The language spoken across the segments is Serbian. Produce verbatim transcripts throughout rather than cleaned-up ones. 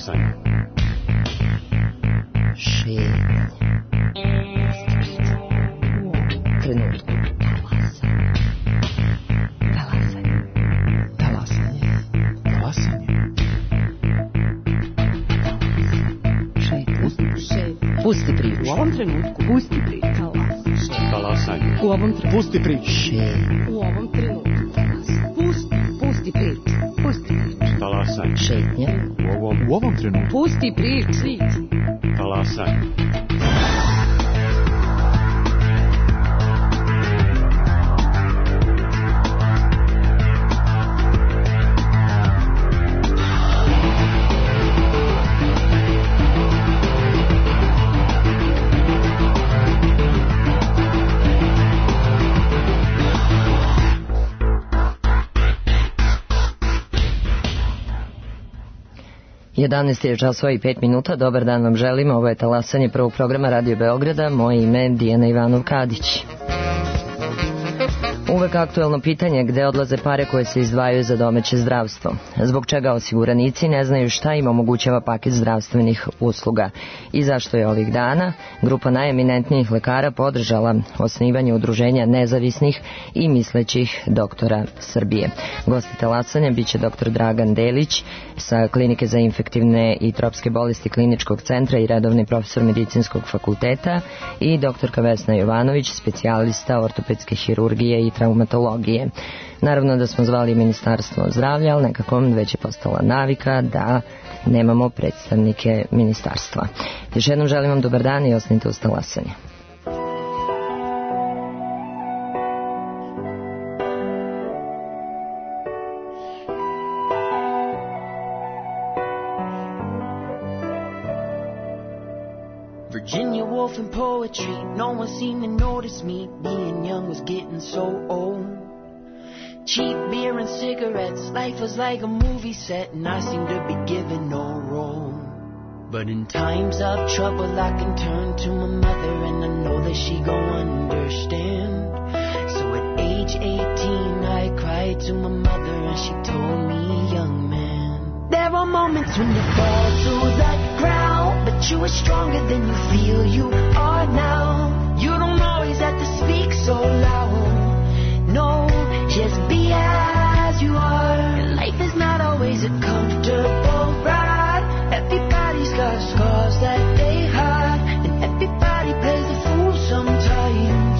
Talasanje. Šetnje. Trenutku. Talasanje. Talasanje. Talasanje. Pusti priču. U ovom trenutku. Pusti priču. Talasanje. U ovom trenutku. Pusti priču. U ovom trenutku. Pusti. Pusti priču. Pusti priču. Talasanje. Šetnje. U ovom, u ovom trenutku. Pusti priču. Talasanje. jedanaest je časova i pet minuta. Dobar dan vam želimo. Ovo je Talasanje prvog programa Radio Beograda. Moje ime je Dijana Ivanov-Kadić. Uvek aktuelno pitanje gde odlaze pare koje se izdvajaju za domaće zdravstvo. Zbog čega osiguranici ne znaju šta im omogućava paket zdravstvenih usluga i zašto je ovih dana grupa najeminentnijih lekara podržala osnivanje udruženja nezavisnih i mislećih doktora Srbije. Gosti Talasanja biće doktor Dragan Delić sa Klinike za infektivne i tropske bolesti Kliničkog centra i redovni profesor Medicinskog fakulteta i doktorka Vesna Jovanović, specijalista ortopedske hirurgije i traumatologije. Naravno da smo zvali Ministarstvo zdravlja, ali nekako već je postala navika da nemamo predstavnike ministarstva. Još jednom želim vam dobar dan i ostanite uz Talasanje. Virginia Woolf and poetry, no one seemed to notice me. Being young was getting so old. Cheap beer and cigarettes, life was like a movie set, and I seemed to be given no role. But in times of trouble I can turn to my mother, and I know that she gon' understand. So at age eighteen I cried to my mother, and she told me, young man, there are moments when you fall to the ground, but you are stronger than you feel you are now. You don't always have to speak so loud. No, just be as you are. And life is not always a comfortable ride. Everybody's got scars that they hide, and everybody plays the fool sometimes.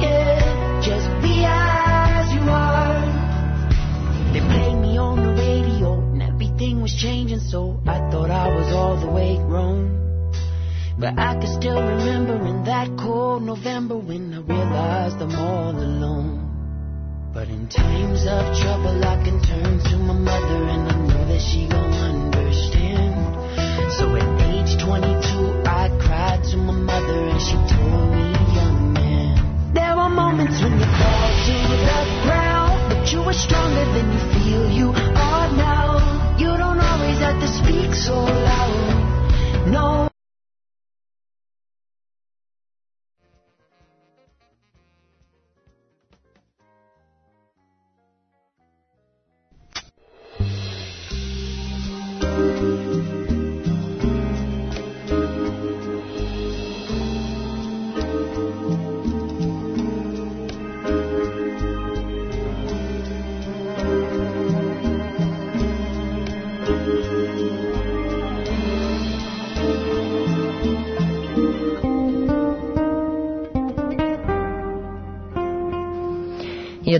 Yeah, just be as you are. They played me on the radio, and everything was changing, so I thought I was all the way grown. But I can still remember in that cold November when I realized I'm all alone. But in times of trouble I can turn to my mother, and I know that she gon' understand. So at age twenty-two I cried to my mother, and she told me, young man, there are moments when you fall to the ground, but you are stronger than you feel you are now. You don't always have to speak so loud. No.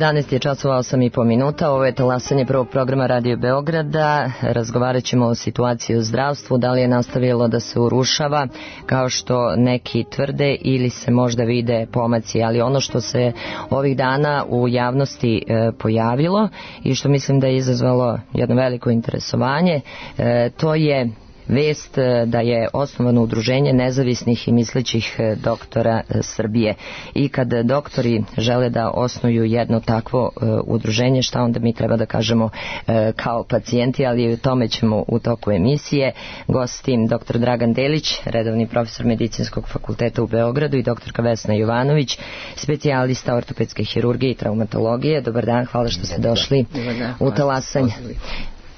jedanaest je časova osam i po minuta. Ovo je Talasanje prvog programa Radio Beograda. Razgovarat ćemo o situaciji u zdravstvu, da li je nastavilo da se urušava kao što neki tvrde ili se možda vide pomaci, ali ono što se ovih dana u javnosti e, pojavilo i što mislim da je izazvalo jedno veliko interesovanje, e, to je vest da je osnovano udruženje nezavisnih i mislećih doktora Srbije. I kad doktori žele da osnuju jedno takvo udruženje, šta onda mi treba da kažemo kao pacijenti, ali o tome ćemo u toku emisije. Gostim doktor Dragan Delić, redovni profesor Medicinskog fakulteta u Beogradu, i doktorka Vesna Jovanović, specijalista ortopedske hirurgije i traumatologije. Dobar dan, hvala što ste došli u Talasanje.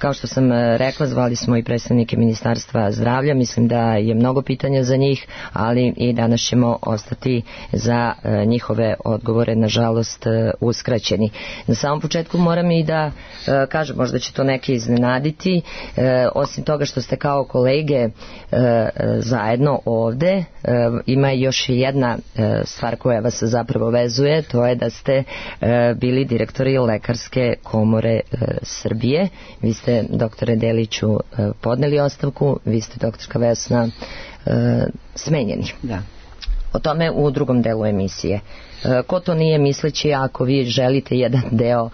Kao što sam rekla, zvali smo i predstavnike Ministarstva zdravlja, mislim da je mnogo pitanja za njih, ali i danas ćemo ostati za njihove odgovore, nažalost, uskraćeni. Na samom početku moram i da kažem, možda će to neki iznenaditi, osim toga što ste kao kolege zajedno ovde, ima još jedna stvar koja vas zapravo vezuje, to je da ste bili direktori Lekarske komore Srbije. Vi ste, doktore Deliću, podneli ostavku, vi ste, doktorka Vesna, smenjeni. Da. O tome u drugom delu emisije. Ko to nije misleći, ako vi želite jedan deo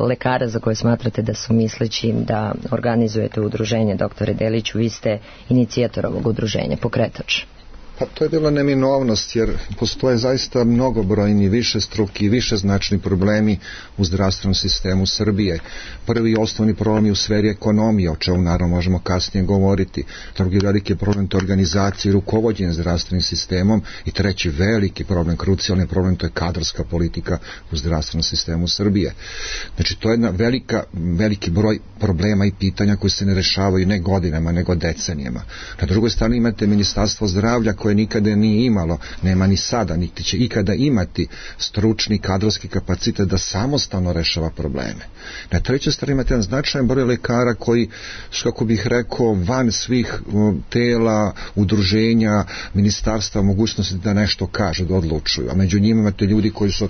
lekara za koje smatrate da su misleći da organizujete udruženje, doktore Deliću, vi ste inicijator ovog udruženja, pokretač. Pa to je bila neminovnost, jer postoje zaista mnogobrojni, višestruki, višeznačni problemi u zdravstvenom sistemu Srbije. Prvi i osnovni problem je u sferi ekonomije, o čemu naravno možemo kasnije govoriti. Drugi veliki problem to je organizacija i rukovođenje zdravstvenim sistemom. I treći veliki problem, krucijalni problem, to je kadrovska politika u zdravstvenom sistemu Srbije. Znači, to je jedna velika, veliki broj problema i pitanja koji se ne rešavaju ne godinama, nego decenijama. Na drugoj strani imate Ministarstvo zdravlja koje nikada nije imalo, nema ni sada, niti će ikada imati stručni kadrovski kapacitet da samostalno rešava probleme. Na trećoj strani imate jedan značajan broj lekara koji, kako bih rekao, van svih tela, udruženja, ministarstva, mogućnosti da nešto kažu, da odlučuju. A među njima imate ljudi koji su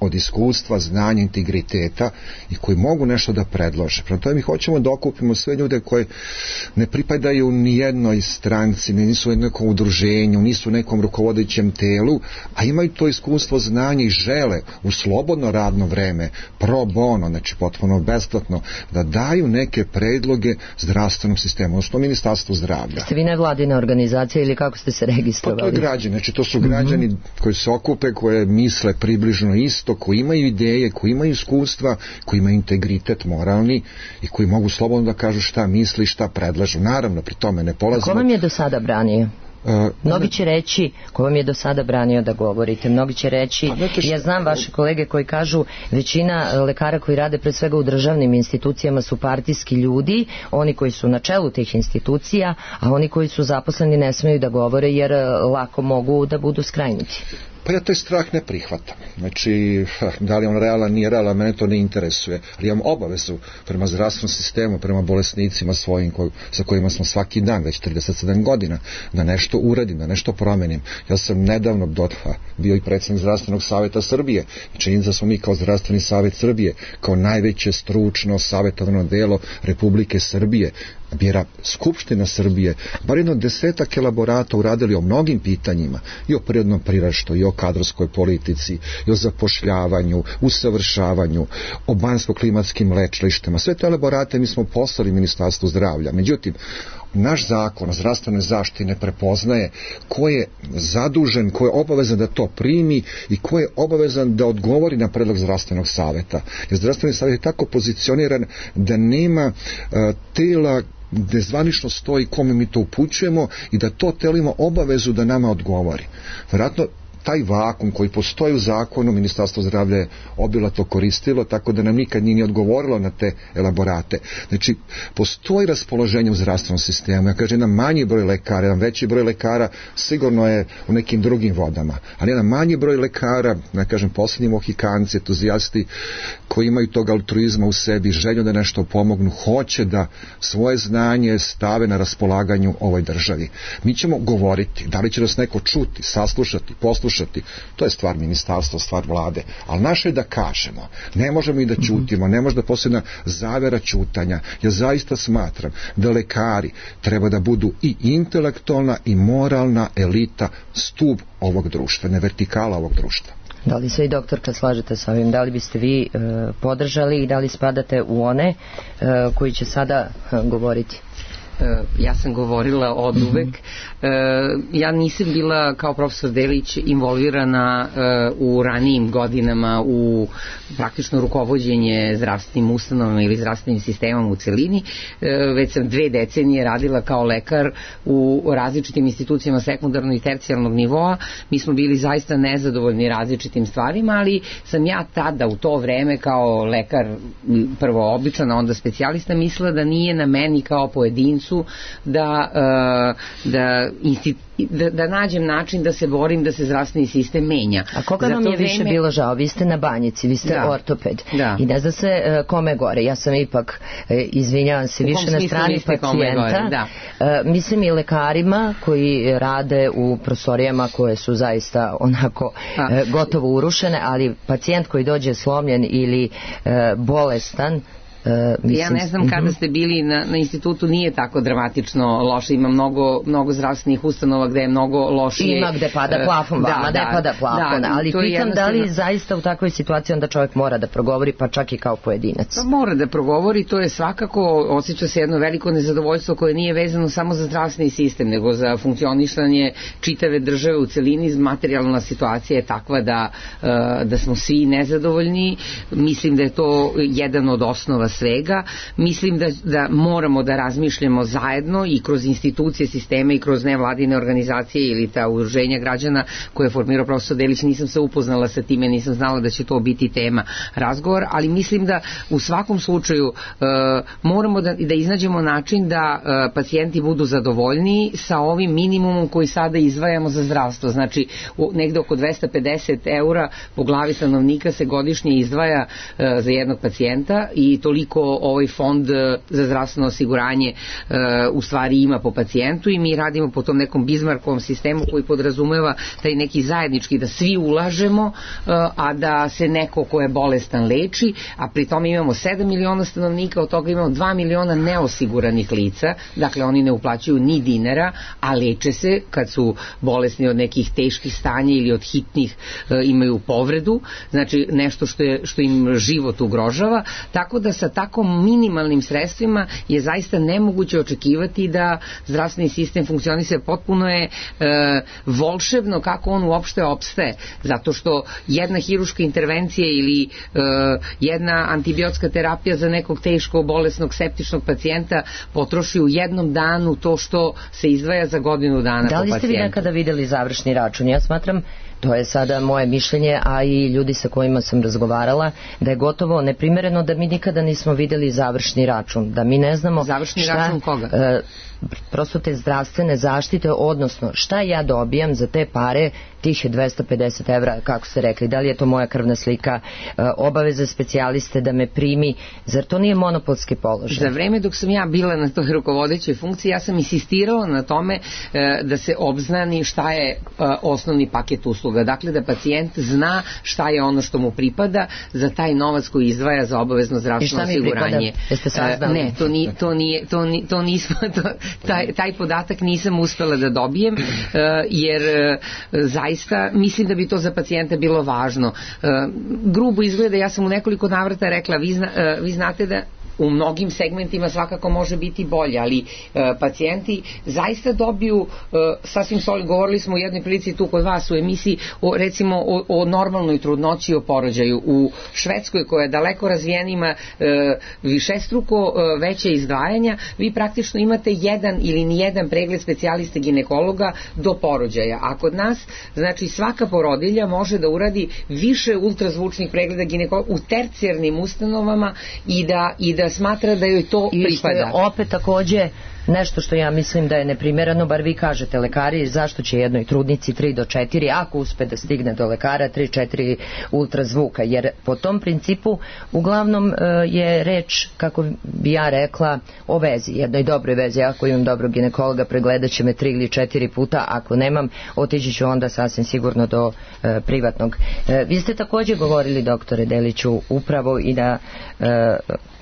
od iskustva, znanja, integriteta i koji mogu nešto da predlože. Prema tome mi hoćemo da okupimo sve ljude koji ne pripadaju ni jednoj stranci, nisu u nekom udruženju, nisu u nekom rukovodećem telu, a imaju to iskustvo, znanje i žele u slobodno radno vreme, pro bono, znači potpuno besplatno, da daju neke predloge zdravstvenom sistemu, odnosno Ministarstvu zdravlja. Ste vi nevladina organizacija ili kako ste se registrovali? Pa to je građani, znači to su građani mm-hmm. koji se okupe, koje misle približno isto, koji imaju ideje, koji imaju iskustva, koji imaju integritet moralni i koji mogu slobodno da kažu šta misli, šta predlažu. Naravno, pri tome ne polazimo. Ko vam je do sada branio? Uh, Mnogi će reći, ko vam je do sada branio da govorite, mnogi će reći, ja znam vaše kolege koji kažu, većina lekara koji rade pre svega u državnim institucijama su partijski ljudi, oni koji su na čelu tih institucija, a oni koji su zaposleni ne smeju da govore jer lako mogu da budu skrajnuti. Pa ja taj strah ne prihvatam. Znači, da li on realan, nije realan, mene to ne interesuje. Ali imam obavezu prema zdravstvenom sistemu, prema bolesnicima svojim koj, sa kojima smo svaki dan, već trideset sedam godina, da nešto uradim, da nešto promenim. Ja sam nedavno dotva, bio i predsjednik Zdravstvenog savjeta Srbije. Činjenica da smo mi kao Zdravstveni savjet Srbije, kao najveće stručno savjetovano delo Republike Srbije, bira Skupština Srbije, bar jedno desetak elaborata uradili o mnogim pitanjima, i o prirodnom priraštu, i o kadrovskoj politici, i o zapošljavanju, usavršavanju, o banjsko-klimatskim lečilištima. Sve te elaborate mi smo poslali Ministarstvu zdravlja. Međutim, naš zakon o zdravstvenoj zaštiti ne prepoznaje ko je zadužen, ko je obavezan da to primi i ko je obavezan da odgovori na predlog zdravstvenog savjeta. Jer zdravstveni savjet je tako pozicioniran da nema uh, tela gde zvanično stoji kome mi to upućujemo i da to telo ima obavezu da nama odgovori. Vjerojatno taj vakum koji postoji u zakonu, Ministarstvo zdravlja je obilato koristilo, tako da nam nikad nije odgovorilo na te elaborate. Znači, postoji raspoloženje u zdravstvenom sistemu. Ja kažem, jedan manji broj lekara, jedan veći broj lekara sigurno je u nekim drugim vodama, ali jedan manji broj lekara, ja kažem, posljednji mohikanci, entuzijasti koji imaju tog altruizma u sebi, želju da nešto pomognu, hoće da svoje znanje stave na raspolaganju ovoj državi. Mi ćemo govoriti, da li će nas neko čuti, saslušati, poslušati, to je stvar ministarstva, stvar vlade, ali naše je da kažemo, ne možemo i da ćutimo, ne može da posljedna zavera ćutanja. Ja zaista smatram da lekari treba da budu i intelektualna i moralna elita, stub ovog društva, ne vertikala ovog društva. Da li se i doktorka slažete sa ovim? Da li biste vi e, podržali i da li spadate u one e, koji će sada e, govoriti? Ja sam govorila od uvek. Ja nisam bila kao profesor Delić involvirana u ranijim godinama u praktično rukovođenje zdravstvenim ustanovama ili zdravstvenim sistemom u celini, već sam dve decenije radila kao lekar u različitim institucijama sekundarnog i tercijalnog nivoa. Mi smo bili zaista nezadovoljni različitim stvarima, ali sam ja tada u to vreme kao lekar, prvo običan, a onda specijalista, mislila da nije na meni kao pojedincu da, da, da, da nađem način da se borim da se zdravstveni sistem menja. A koga vam je više vreme... bilo žao? Vi ste na banjici, vi ste da. ortoped. Da. I ne zna se uh, kome gore. Ja sam ipak, uh, izvinjavam se, više na strani pacijenta. Da. Uh, mislim i lekarima koji rade u prostorijama koje su zaista onako uh, gotovo urušene, ali pacijent koji dođe slomljen ili uh, bolestan, Uh, mislim, ja ne znam kada ste bili na, na institutu, nije tako dramatično loše, ima mnogo, mnogo zdravstvenih ustanova gde je mnogo lošije. Ima gde pada plafon, da, vama da, ne pada plafon, da, ali pitam jednostavno... da li zaista u takvoj situaciji onda čovjek mora da progovori, pa čak i kao pojedinac. Pa mora da progovori, to je svakako, osjeća se jedno veliko nezadovoljstvo koje nije vezano samo za zdravstveni sistem, nego za funkcionišanje čitave države u celini. Materijalna situacija je takva da, da smo svi nezadovoljni. Mislim da je to jedan od osnova svega. Mislim da, da moramo da razmišljamo zajedno i kroz institucije, sisteme i kroz nevladine organizacije ili ta udruženja građana koje je formirao profesor Delić. Nisam se upoznala sa time, nisam znala da će to biti tema razgovor, ali mislim da u svakom slučaju uh, moramo da, da iznađemo način da uh, pacijenti budu zadovoljniji sa ovim minimumom koji sada izdvajamo za zdravstvo. Znači, u, negde oko dvesta pedeset eura po glavi stanovnika se godišnje izdvaja uh, za jednog pacijenta i toliko ovaj fond za zdravstveno osiguranje uh, u stvari ima po pacijentu i mi radimo po tom nekom Bismarckovom sistemu koji podrazumeva taj neki zajednički da svi ulažemo, uh, a da se neko ko je bolestan leči, a pri tome imamo sedam miliona stanovnika, od toga imamo dva miliona neosiguranih lica, dakle oni ne uplaćuju ni dinara, a leče se kad su bolesni od nekih teških stanja ili od hitnih uh, imaju povredu, znači nešto što, je, što im život ugrožava, tako da sa tako minimalnim sredstvima je zaista nemoguće očekivati da zdravstveni sistem funkcioniše. Potpuno je e, volšebno kako on uopšte opstaje, zato što jedna hiruška intervencija ili e, jedna antibiotska terapija za nekog teško bolesnog septičnog pacijenta potroši u jednom danu to što se izdvaja za godinu dana po pacijentu. Da li ste vi nekada videli završni račun? Ja smatram, to je sada moje mišljenje, a i ljudi sa kojima sam razgovarala, da je gotovo neprimereno da mi nikada nismo videli završni račun, da mi ne znamo završni šta, račun koga? E, prosto te zdravstvene zaštite, odnosno šta ja dobijam za te pare, tih dvesta pedeset evra, kako ste rekli, da li je to moja krvna slika, e, obaveza specijaliste da me primi, zar to nije monopolski položaj? Za vreme dok sam ja bila na toj rukovodećoj funkciji, ja sam insistirala na tome e, da se obznani šta je e, osnovni paket usluga, dakle da pacijent zna šta je ono što mu pripada za taj novac koji izdvaja za obavezno zdravstveno osiguranje. Jeste saznali? Ne, to nije, to nije, to nije, to nismo, to, taj, taj podatak nisam uspela da dobijem, uh, jer uh, zaista mislim da bi to za pacijenta bilo važno. Uh, grubo izgleda, ja sam u nekoliko navrata rekla, vi, zna, uh, vi znate da u mnogim segmentima svakako može biti bolje, ali e, pacijenti zaista dobiju e, sasvim solidno, govorili smo u jednoj prilici tu kod vas u emisiji o, recimo o, o normalnoj trudnoći i o porođaju. U Švedskoj koja je daleko razvijena ima e, višestruko e, veće izdvajanja, vi praktično imate jedan ili nijedan pregled specijaliste ginekologa do porođaja, a kod nas znači svaka porodilja može da uradi više ultrazvučnih pregleda ginekologa u tercijarnim ustanovama i da, i da smatra da joj to i pripada. I opet takođe nešto što ja mislim da je neprimereno, bar vi kažete lekari, zašto će jednoj trudnici tri do četiri, ako uspe da stigne do lekara, tri četiri ultrazvuka, jer po tom principu uglavnom je reč, kako bi ja rekla, o vezi, jednoj dobroj vezi. Ako imam dobrog ginekologa, pregledat će me tri ili četiri puta, ako nemam, otići ću onda sasvim sigurno do e, privatnog. E, vi ste takođe govorili, doktore Deliću, upravo i da e,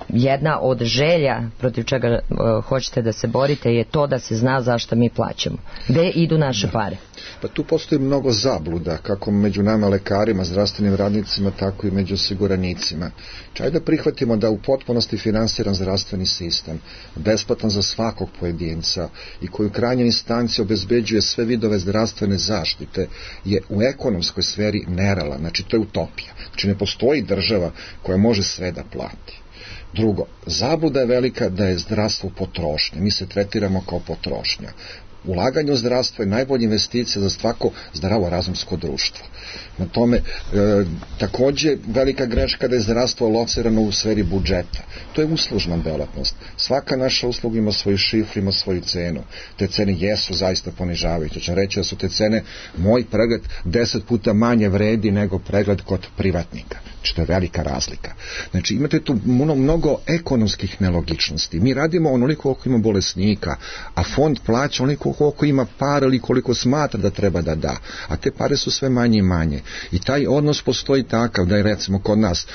jedna od želja protiv čega uh, hoćete da se borite je to da se zna zašto mi plaćamo. Gde idu naše pare? Pa tu postoji mnogo zabluda, kako među nama lekarima, zdravstvenim radnicima, tako i među osiguranicima. Čaj da prihvatimo da u potpunosti finansiran zdravstveni sistem, besplatan za svakog pojedinca i koji u krajnjoj instanciji obezbeđuje sve vidove zdravstvene zaštite, je u ekonomskoj sferi nerealan, znači to je utopija. Znači ne postoji država koja može sve da plati. Drugo, zabluda je velika da je zdravstvo potrošnja. Mi se tretiramo kao potrošnja. Ulaganje u zdravstvo je najbolja investicija za svako zdravo razumsko društvo. Na tome, e, takođe, velika greška da je zdravstvo locirano u sferi budžeta. To je uslužna delatnost. Svaka naša usluga ima svoju šifru, ima svoju cenu. Te cene jesu zaista ponižavajuće. Ću reći da su te cene, moj pregled deset puta manje vredi nego pregled kod privatnika. Znači, to je velika razlika. Znači, imate tu mnogo, mnogo ekonomskih nelogičnosti. Mi radimo onoliko koliko ima bolesnika, a fond plaća onoliko koliko ima para ili koliko smatra da treba da da. A te pare su sve manje i manje. I taj odnos postoji takav da je recimo kod nas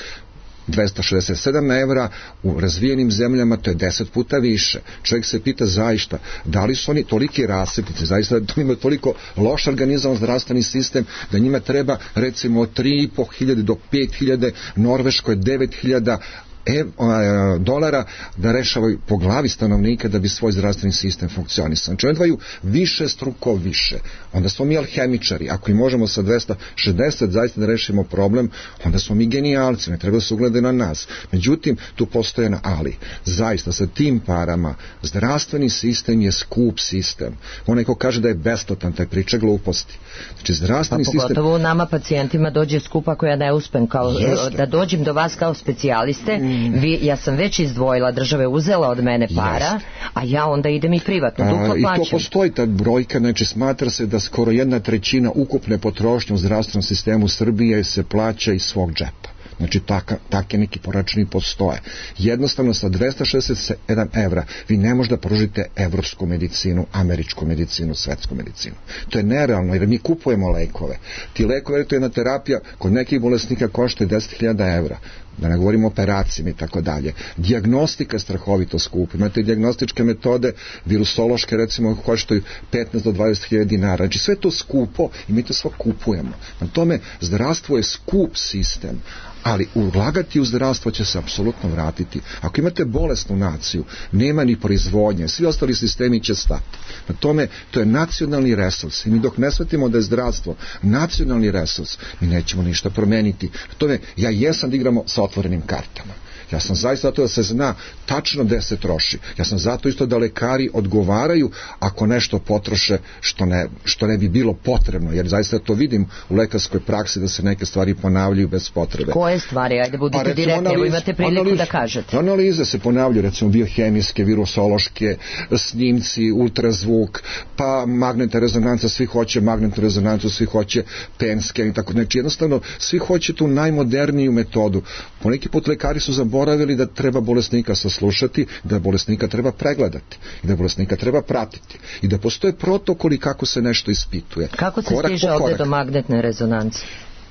dvesta šezdeset sedam evra, u razvijenim zemljama to je deset puta više. Čovjek se pita zaista, da li su oni toliki rasipnici, zaista da imaju toliko loš organizovan zdravstveni sistem, da njima treba recimo tri i po hiljade do pet hiljada, Norveškoj devet hiljada E, a, dolara da rešavaju po glavi stanovnika da bi svoj zdravstveni sistem funkcionisao. Znači oni dvaju više struko više. Onda smo mi alhemičari. Ako i možemo sa dvesta šezdeset zaista da rešimo problem, onda smo mi genijalci. Ne treba da se uglede na nas. Međutim, tu postoje na ali. Zaista sa tim parama zdravstveni sistem je skup sistem. Onaj ko kaže da je besplatan, taj priča gluposti. Znači zdravstveni pa, sistem... pogotovo nama pacijentima dođe skup ako ja ne uspem kao, da dođem do vas kao specijaliste. Mm. Vi, ja sam već izdvojila, država je uzela od mene para, Jest. a ja onda idem i privatno, duplo plaćam. I to postoji ta brojka, znači smatra se da skoro jedna trećina ukupne potrošnje u zdravstvenom sistemu Srbije se plaća iz svog džepa. Znači taka, take neki poračuni postoje. Jednostavno sa dvesta šezdeset sedam evra vi ne možete da pružite evropsku medicinu, američku medicinu, svetsku medicinu. To je nerealno jer mi kupujemo lekove. Ti lekovi, to je jedna terapija kod nekih bolesnika košta deset hiljada evra. Da ne govorimo o operacijama i tako dalje. Dijagnostika je strahovito skupa. Imate dijagnostičke metode, virusološke recimo koštaju petnaest do dvadeset hiljada dinara. Znači sve to skupo i mi to sve kupujemo. Na tome zdravstvo je skup sistem, ali ulagati u zdravstvo će se apsolutno vratiti. Ako imate bolesnu naciju, nema ni proizvodnje, svi ostali sistemi će stati. Na tome, to je nacionalni resurs i mi dok ne shvatimo da je zdravstvo nacionalni resurs, mi nećemo ništa promeniti. Na tome, ja jesam da igramo sa otvorenim kartama. Ja sam zaista zato da se zna tačno gde se troši. Ja sam zato isto da lekari odgovaraju ako nešto potroše što ne, što ne bi bilo potrebno, jer zaista to vidim u lekarskoj praksi da se neke stvari ponavljaju bez potrebe. Koje stvari? Ajde, budite pa, direktni, evo imate priliku analiz, da kažete. Analize se ponavljaju, recimo biohemijske, virusološke, snimci, ultrazvuk, pa magnetna rezonanca, svi hoće magnetnu rezonancu, svi hoće penske i tako. Znači jednostavno, svi hoće tu najmoderniju metodu. Poneki put lekari su zaboravili da treba bolesnika saslušati, da bolesnika treba pregledati i da bolesnika treba pratiti i da postoje protokoli kako se nešto ispituje. Kako se korak stiže ovde do magnetne rezonance?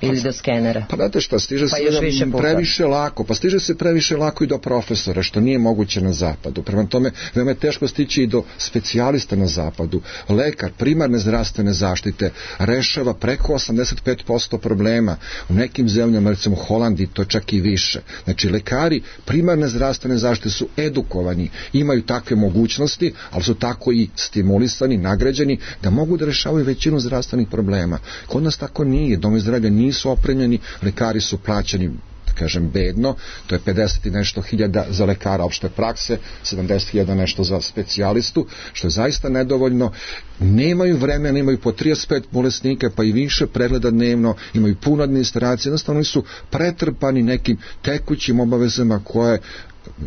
Ili do skenera. Pa znate šta, stiže pa se previše lako, pa stiže se previše lako i do profesora, što nije moguće na zapadu. Prema tome, veoma je teško stići i do specijalista na zapadu. Lekar primarne zdravstvene zaštite rešava preko osamdeset pet posto problema. U nekim zemljama, recimo Holandiji, to čak i više. Znači, lekari primarne zdravstvene zaštite su edukovani, imaju takve mogućnosti, ali su tako i stimulisani, nagrađeni, da mogu da rešavaju većinu zdravstvenih problema. Kod nas tako nije, domovi zdravlja nije su opremljeni, lekari su plaćani, da kažem, bedno, to je pedeset i nešto hiljada za lekara opšte prakse, sedamdeset hiljada nešto za specijalistu, što je zaista nedovoljno. Nemaju vremena, imaju po trideset pet bolesnika, pa i više pregleda dnevno, imaju puno administracije, jednostavno su pretrpani nekim tekućim obavezama koje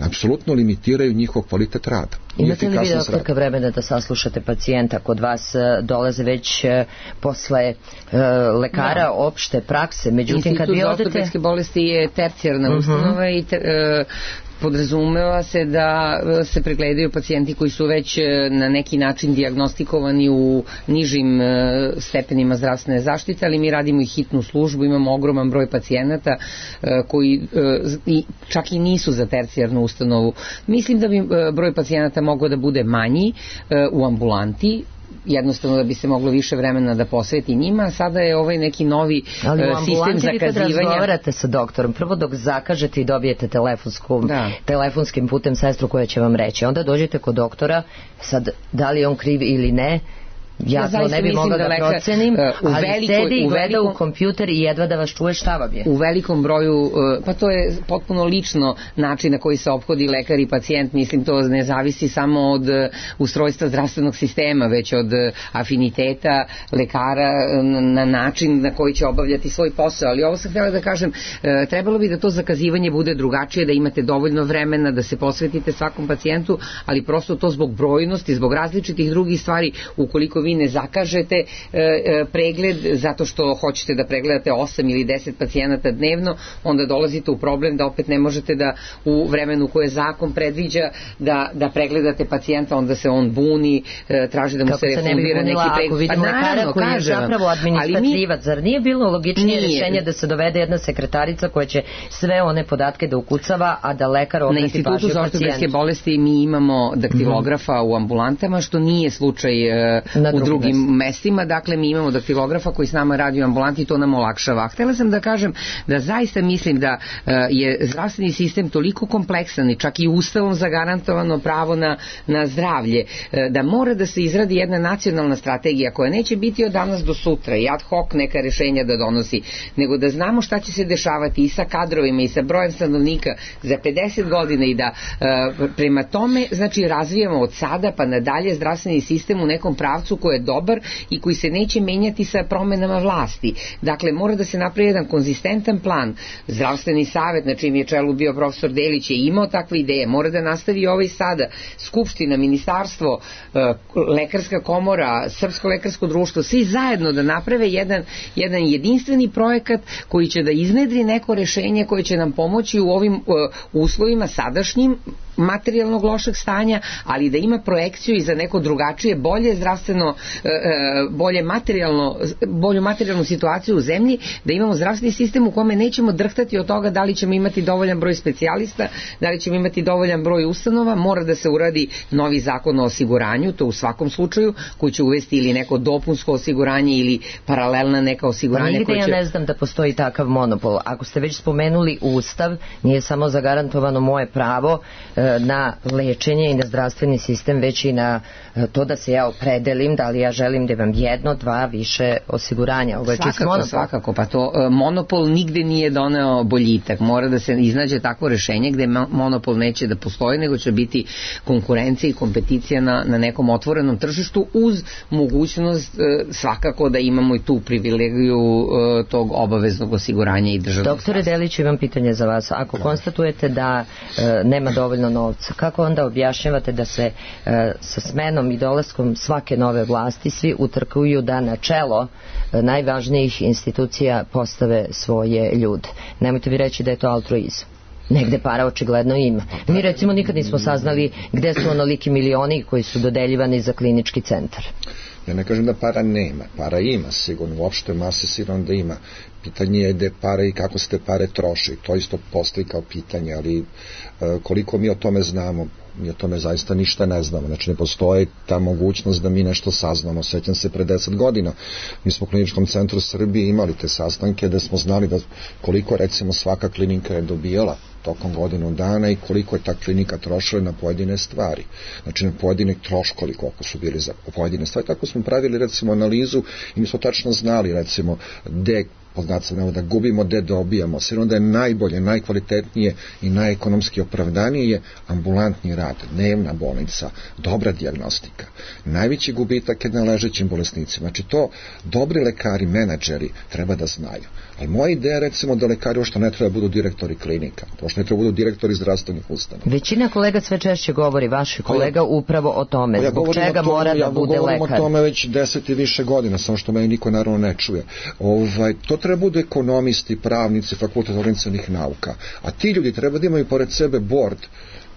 apsolutno limitiraju njihov kvalitet rada. Imate li vi doktorka vremena da saslušate pacijenta? Kod vas dolaze već posle uh, lekara da. opšte prakse, međutim Institut kad vi odete... Institut za ortopedske bolesti je tercijarna uh-huh. ustanova i ter, uh, podrazumeva se da se pregledaju pacijenti koji su već na neki način dijagnostikovani u nižim stepenima zdravstvene zaštite, ali mi radimo i hitnu službu, imamo ogroman broj pacijenata koji čak i nisu za tercijarnu ustanovu. Mislim da bi broj pacijenata mogao da bude manji u ambulanti, jednostavno da bi se moglo više vremena da posveti njima. Sada je ovaj neki novi ali u sistem zakazivanja. Ali vi kad razgovarate sa doktorom, prvo dok zakažete i dobijete telefonsku, da. telefonskim putem sestru koja će vam reći, onda dođete kod doktora, sad da li je on kriv ili ne, ja, ja to ne bi mogla da, da lekar, procenim, uh, ali velikoj, sedi i gleda u, velikom, u kompjuter i jedva da vas čuje šta vam je. U velikom broju, uh, pa to je potpuno lično način na koji se ophodi lekar i pacijent, mislim to ne zavisi samo od uh, ustrojstva zdravstvenog sistema, već od uh, afiniteta lekara uh, na način na koji će obavljati svoj posao, ali ovo sam htjela da kažem, uh, trebalo bi da to zakazivanje bude drugačije, da imate dovoljno vremena, da se posvetite svakom pacijentu, ali prosto to zbog brojnosti, zbog različitih drugih stvari, ukoliko vi ne zakažete e, e, pregled zato što hoćete da pregledate osam ili deset pacijenata dnevno, onda dolazite u problem da opet ne možete da u vremenu koje zakon predviđa da, da pregledate pacijenta, onda se on buni, e, traži da mu kako se refundira neki pregled. Ako vidimo pa, lekara koji je zapravo administrativac, zar nije bilo logičnije nije. rješenje da se dovede jedna sekretarica koja će sve one podatke da ukucava, a da lekar obrati pažnju pacijentu? Na Institutu za ortopedske bolesti mi imamo daktilografa mm-hmm. u ambulantama, što nije slučaj e, u drugim mestima, dakle mi imamo daktilografa koji s nama radi u ambulanti i to nam olakšava. Htela sam da kažem da zaista mislim da uh, je zdravstveni sistem toliko kompleksan i čak i ustavom zagarantovano pravo na, na zdravlje, uh, da mora da se izradi jedna nacionalna strategija koja neće biti od danas do sutra i ad hoc neka rešenja da donosi, nego da znamo šta će se dešavati i sa kadrovima i sa brojem stanovnika za pedeset godina i da uh, prema tome, znači razvijamo od sada pa nadalje zdravstveni sistem u nekom pravcu koji je dobar i koji se neće menjati sa promenama vlasti. Dakle, mora da se napravi jedan konzistentan plan. Zdravstveni savet, na čim je čelu bio profesor Delić, je imao takve ideje. Mora da nastavi ovaj sada. Skupština, ministarstvo, lekarska komora, Srpsko lekarsko društvo, svi zajedno da naprave jedan, jedan jedinstveni projekat koji će da iznedri neko rešenje koje će nam pomoći u ovim uh, uslovima sadašnjim materijalnog lošeg stanja, ali da ima projekciju i za neko drugačije, bolje zdravstveno, bolje materijalno, bolju materijalnu situaciju u zemlji, da imamo zdravstveni sistem u kome nećemo drhtati od toga da li ćemo imati dovoljan broj specijalista, da li ćemo imati dovoljan broj ustanova. Mora da se uradi novi zakon o osiguranju, to u svakom slučaju, koji će uvesti ili neko dopunsko osiguranje ili paralelna neka osiguranja. Pa nigde će... ja ne znam da postoji takav monopol. Ako ste već spomenuli Ustav, nije samo zagarantovano moje pravo na lečenje i na zdravstveni sistem, već i na to da se ja opredelim da li ja želim da imam jedno, dva, više osiguranja. Ovo je čist monopol. Svakako, pa to monopol nigde nije doneo boljitak. Mora da se iznađe takvo rešenje gde monopol neće da postoji, nego će biti konkurencija i kompeticija na, na nekom otvorenom tržištu uz mogućnost svakako da imamo i tu privilegiju tog obaveznog osiguranja i državnog. Doktore Delić, imam pitanje za vas. Ako konstatujete da e, nema dovoljno novca, kako onda objašnjavate da se e, sa smenom i dolaskom svake nove vlasti svi utrkuju da na čelo e, najvažnijih institucija postave svoje ljude? Nemojte vi reći da je to altruizam. Negde para očigledno ima. Mi recimo nikad nismo saznali gde su onoliki milioni koji su dodeljivani za klinički centar. Ja ne kažem da para nema, para ima sigurno, uopšte mase sigurno da ima. Pitanje je gde pare i kako se te pare troši, to isto postoji kao pitanje, ali e, koliko mi o tome znamo, mi o tome zaista ništa ne znamo, znači ne postoji ta mogućnost da mi nešto saznamo. Sjećam se pre deset godina, mi smo u Kliničkom centru Srbije imali te sastanke da smo znali da koliko recimo svaka klinika je dobijala tokom godinu dana i koliko je ta klinika trošila na pojedine stvari. Znači na pojedine troškovi koliko su bili za pojedine stvari. Tako smo pravili recimo analizu i mi smo tačno znali recimo gde poznacamo da gubimo, gde dobijamo. Sve onda je najbolje, najkvalitetnije i najekonomski opravdanije je ambulantni rad, dnevna bolnica, dobra dijagnostika. Najveći gubitak je na ležećim bolesnicima. Znači to dobri lekari, menadžeri treba da znaju. Ali moja ideja recimo da lekari uopšte ne treba budu direktori klinika, uopšte ne treba budu direktori zdravstvenih ustanova. Većina kolega sve češće govori, vaši kolega, ja, upravo o tome. Ja zbog čega tome, mora ja da bude lekar? Ja govorim o tome već deset i više godina, samo što meni niko naravno ne čuje. Ovaj, to treba budu ekonomisti, pravnici, fakultet organizacionih nauka. A ti ljudi treba da imaju pored sebe board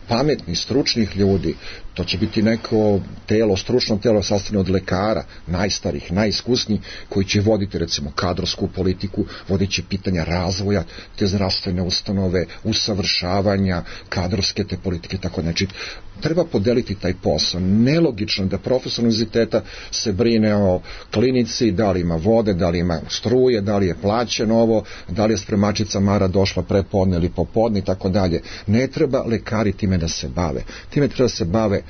pametnih, stručnih ljudi. To će biti neko telo, stručno telo sastavljeno od lekara, najstarih, najiskusnijih, koji će voditi recimo kadrovsku politiku, vodit će pitanja razvoja te zdravstvene ustanove, usavršavanja, kadrovske te politike, tako znači treba podeliti taj posao. Nelogično da profesor univerziteta se brine o klinici, da li ima vode, da li ima struje, da li je plaćeno ovo, da li je spremačica Mara došla prepodne ili popodne i tako dalje. Ne treba lekari time da se bave. Time treba da se bave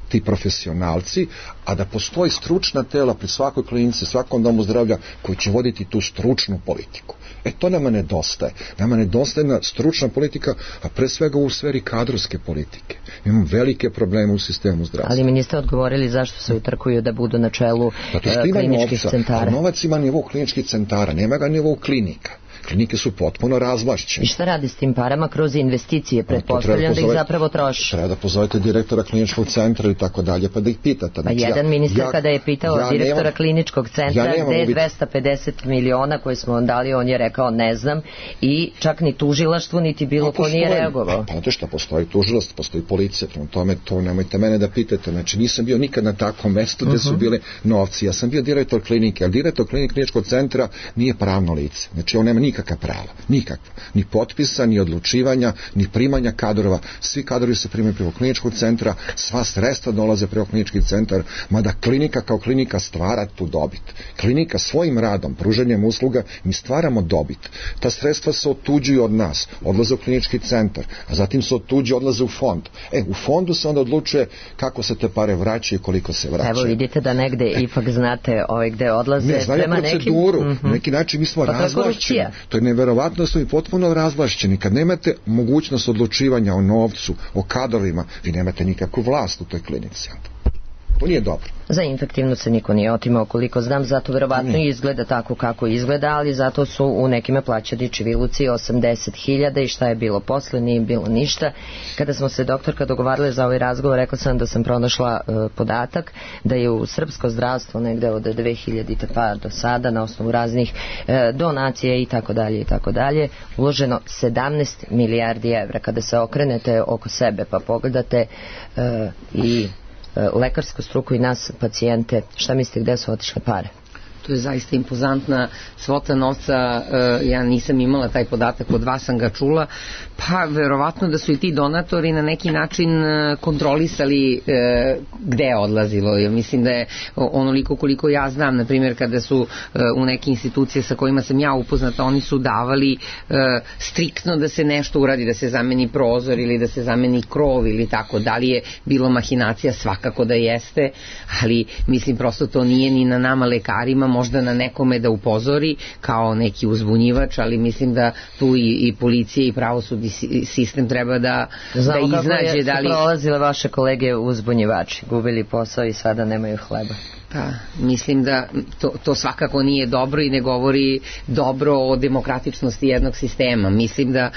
ti profesionalci, a da postoji stručna tela pri svakoj klinici, svakom domu zdravlja koji će voditi tu stručnu politiku. E to nama nedostaje. Nama nedostaje na stručna politika, a pre svega u sferi kadrovske politike. Imamo velike probleme u sistemu zdravstva. Ali mi niste odgovorili zašto se utrkuju da budu na čelu kliničkih centara. Novac ima nivou kliničkih centara, nema ga nivou klinika. Klinike su potpuno razvlašćene. I šta radi s tim parama? Kroz investicije, pretpostavljam da ih zapravo troši. Treba da pozovete direktora kliničkog centra i tako dalje, pa da ih pitate. Znači, pa jedan ministar ja, kada je pitao ja direktora nemam, kliničkog centra ja gde je dvesta pedeset miliona koje smo on dali, on je rekao ne znam, i čak ni tužilaštvo niti bilo ko nije reagovao. Pa znate šta, postoji tužilaštvo, postoji policija, prema tome to nemojte mene da pitate. Znači nisam bio nikad na takvom mestu gde su bile novci. Ja sam bio direktor klinike, ali direktor kliničkog centra nije pravno lice. Znači on nema nikakva prava, nikakva. Ni potpisa, ni odlučivanja, ni primanja kadrova. Svi kadrovi se primaju preko kliničkog centra, sva sredstva dolaze preko klinički centar, mada klinika kao klinika stvara tu dobit. Klinika svojim radom, pružanjem usluga, mi stvaramo dobit. Ta sredstva se otuđuju od nas, odlaze u klinički centar, a zatim se otuđuju, odlaze u fond. E, u fondu se onda odlučuje kako se te pare vraćaju i koliko se vraćaju. Evo vidite da negde e. ipak znate ovaj gde odlaze ne, prema nekim... proceduru, mm-hmm. na neki način mi smo pa razvlašćeni. To je neverovatno da smo i potpuno razvlašćeni. Kad nemate mogućnost odlučivanja o novcu, o kadrovima, vi nemate nikakvu vlast u toj klinici. To nije dobro. Za infektivnu se niko nije otimao, koliko znam, zato verovatno i izgleda tako kako izgleda, ali zato su u nekime plaćani čiviluci osamdeset hiljada i šta je bilo posle, nije bilo ništa. Kada smo se doktorka dogovarali za ovaj razgovor, rekla sam da sam pronašla e, podatak da je u srpsko zdravstvo negde od dve hiljade pa do sada na osnovu raznih e, donacija i tako dalje i tako dalje uloženo sedamnaest milijardi evra. Kada se okrenete oko sebe pa pogledate e, i lekarsku struku i nas pacijente, šta mislite gde su otišle pare? To je zaista impozantna svota novca, ja nisam imala taj podatak, od vas sam ga čula, pa verovatno da su i ti donatori na neki način kontrolisali gde je odlazilo. Ja mislim da je onoliko koliko ja znam, na primjer kada su u neke institucije sa kojima sam ja upoznata, oni su davali striktno da se nešto uradi, da se zameni prozor ili da se zameni krov ili tako. Da li je bilo mahinacija? Svakako da jeste, ali mislim prosto to nije ni na nama lekarima, možda na nekome da upozori kao neki uzbunjivač, ali mislim da tu i, i policija i pravosudni sistem treba da, Znamo da iznađe. Znamo kako je da li... prolazile vaše kolege uzbunjivači, gubili posao i sada nemaju hleba. Pa, mislim da to, to svakako nije dobro i ne govori dobro o demokratičnosti jednog sistema. Mislim da e,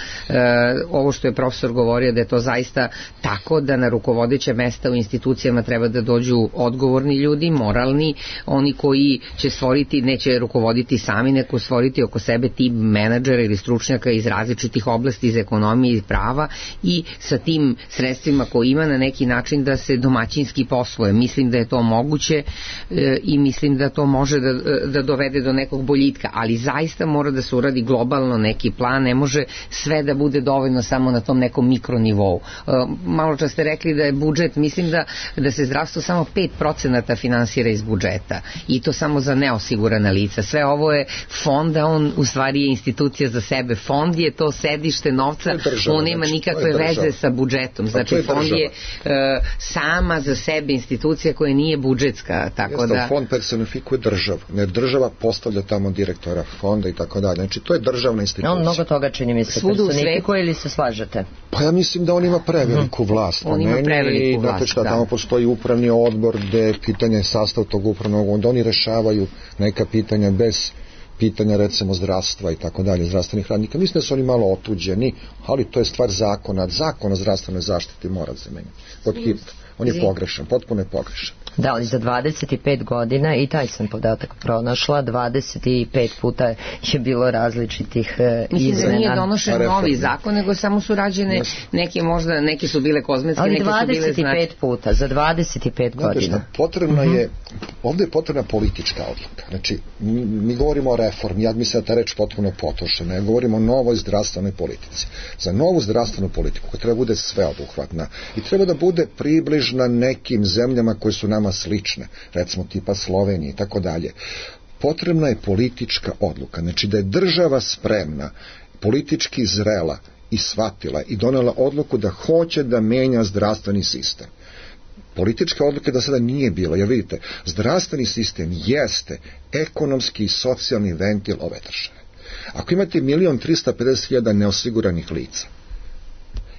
ovo što je profesor govorio da je to zaista tako, da na rukovodeća mesta u institucijama treba da dođu odgovorni ljudi, moralni, oni koji će stvoriti, neće rukovoditi sami, neko stvoriti oko sebe tim menadžera ili stručnjaka iz različitih oblasti, iz ekonomije i prava i sa tim sredstvima koji ima na neki način da se domaćinski posluje. Mislim da je to moguće i mislim da to može da, da dovede do nekog boljitka, ali zaista mora da se uradi globalno neki plan, ne može sve da bude dovoljno samo na tom nekom mikronivou. Malo čas ste rekli da je budžet, mislim da, da se zdravstvo samo pet procenata finansira iz budžeta i to samo za neosigurana lica. Sve ovo je fond, a on u stvari je institucija za sebe. Fond je to sedište novca, država, on nema nikakve znači, veze sa budžetom. Znači je fond je uh, sama za sebe institucija koja nije budžetska, tako Jeste, da... Fond personifikuje državu, ne država postavlja tamo direktora fonda i tako dalje. Znači to je državna institucija. On mnogo toga čini mi se personifikuje ili se slažete? Pa ja mislim da on ima preveliku vlast. On ima preveliku vlast, znate šta, da. tamo postoji upravni odbor gde pitanje sastav tog upravnog, onda oni rešavaju neka pitanja bez pitanja recimo zdravstva i tako dalje, zdravstvenih radnika. Mislim da su oni malo otuđeni, ali to je stvar zakona. Zakon o zdravstvenoj zaštiti mora se menjati. Pod hitno. On je pogrešan, potpuno je pogrešan. Da, ali za dvadeset pet godina, i taj sam podatak pronašla, dvadeset pet puta je bilo različitih e, Mislim izmena. da nije donošen novi zakon, nego samo su rađene neke, možda neke su bile kozmetske, ali neke su bile dvadeset pet puta, za dvadeset pet godina. Šta, potrebno uh-huh. je, ovdje je potrebna politička odluka. Znači, mi, mi govorimo o reformi, ja mislim da ta reč potpuno potrošena, ja govorimo o novoj zdravstvenoj politici. Za novu zdravstvenu politiku koja treba bude sveobuhvatna i treba da bude približna nekim zemljama koje su nama slične, recimo tipa Slovenije i tako dalje. Potrebna je politička odluka, znači da je država spremna, politički zrela i shvatila i donela odluku da hoće da menja zdravstveni sistem. Politička odluka da sada nije bilo, jer vidite, zdravstveni sistem jeste ekonomski i socijalni ventil ove države. Ako imate milion trista pedeset hiljada neosiguranih lica,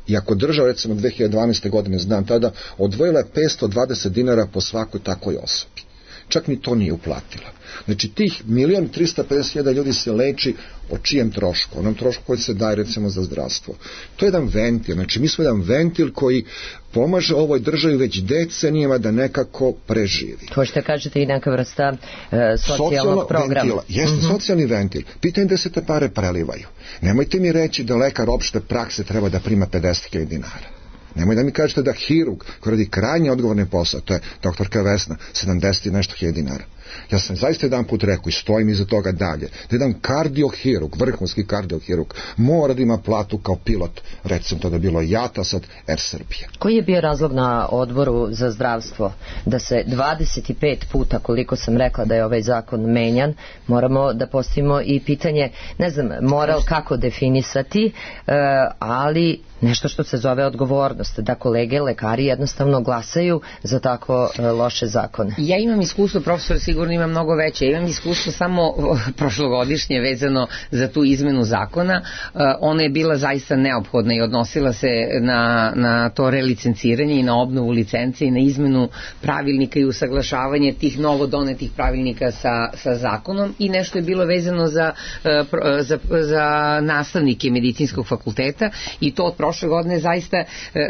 i ako država, recimo dve hiljade dvanaeste. godine, znam tada, odvojila je petsto dvadeset dinara po svakoj takvoj osobi. Čak ni to nije uplatila. Znači, tih milion trista pedeset hiljada ljudi se leči o čijem trošku? Onom trošku koji se daje, recimo, za zdravstvo. To je jedan ventil. Znači, mi smo jedan ventil koji pomaže ovoj državi već decenijama da nekako preživi. To što kažete i neka vrsta e, socijalnog programa. Ventila. Jeste, mm-hmm. socijalni ventil. Pitanje da se te pare prelivaju. Nemojte mi reći da lekar opšte prakse treba da prima pedeset hiljada dinara. Nemoj da mi kažete da hirurg koji radi krajnje odgovorne posao, to je doktorka Vesna, sedamdeset i nešto hiljada dinara. Ja sam zaista jedan put rekao i stojim iza toga dalje, da jedan kardiohirurg, vrhunski kardiohirurg, mora da ima platu kao pilot, recimo to da bilo JAT-a, sad Air Srbije. Koji je bio razlog na odboru za zdravstvo da se dvadeset pet puta, koliko sam rekla da je ovaj zakon menjan, moramo da postavimo i pitanje, ne znam, moral kako definisati, ali nešto što se zove odgovornost, da kolege lekari jednostavno glasaju za tako loše zakone. Ja imam iskustvo, profesor sigurno ima mnogo veće, ja imam iskustvo samo prošlogodišnje vezano za tu izmenu zakona. Ona je bila zaista neophodna i odnosila se na, na to relicenciranje i na obnovu licence i na izmenu pravilnika i usaglašavanje tih novo donetih pravilnika sa, sa zakonom, i nešto je bilo vezano za, za, za nastavnike medicinskog fakulteta, i to od prošle godine zaista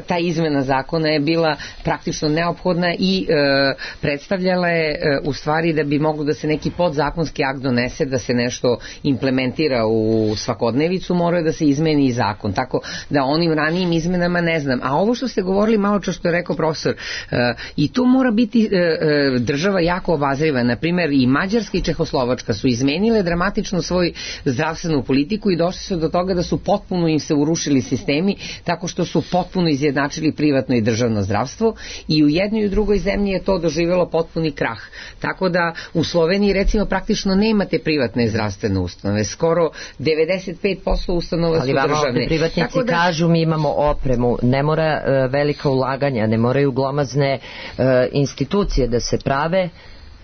ta izmena zakona je bila praktično neophodna i e, predstavljala je e, u stvari da bi moglo da se neki podzakonski akt donese, da se nešto implementira u svakodnevicu, mora da se izmeni i zakon, tako da onim ranijim izmenama ne znam. A ovo što ste govorili malo čo što je rekao profesor, e, i tu mora biti e, država jako obazriva. Na primjer, i Mađarska i Čehoslovačka su izmenile dramatično svoju zdravstvenu politiku i došli su do toga da su potpuno im se urušili sistemi, tako što su potpuno izjednačili privatno i državno zdravstvo, i u jednoj i u drugoj zemlji je to doživjelo potpuni krah. Tako da u Sloveniji recimo praktično nemate privatne zdravstvene ustanove, skoro devedeset pet posto ustanova ali su državne. Ali vama privatnici da... kažu mi imamo opremu, ne mora uh, velika ulaganja, ne moraju glomazne uh, institucije da se prave.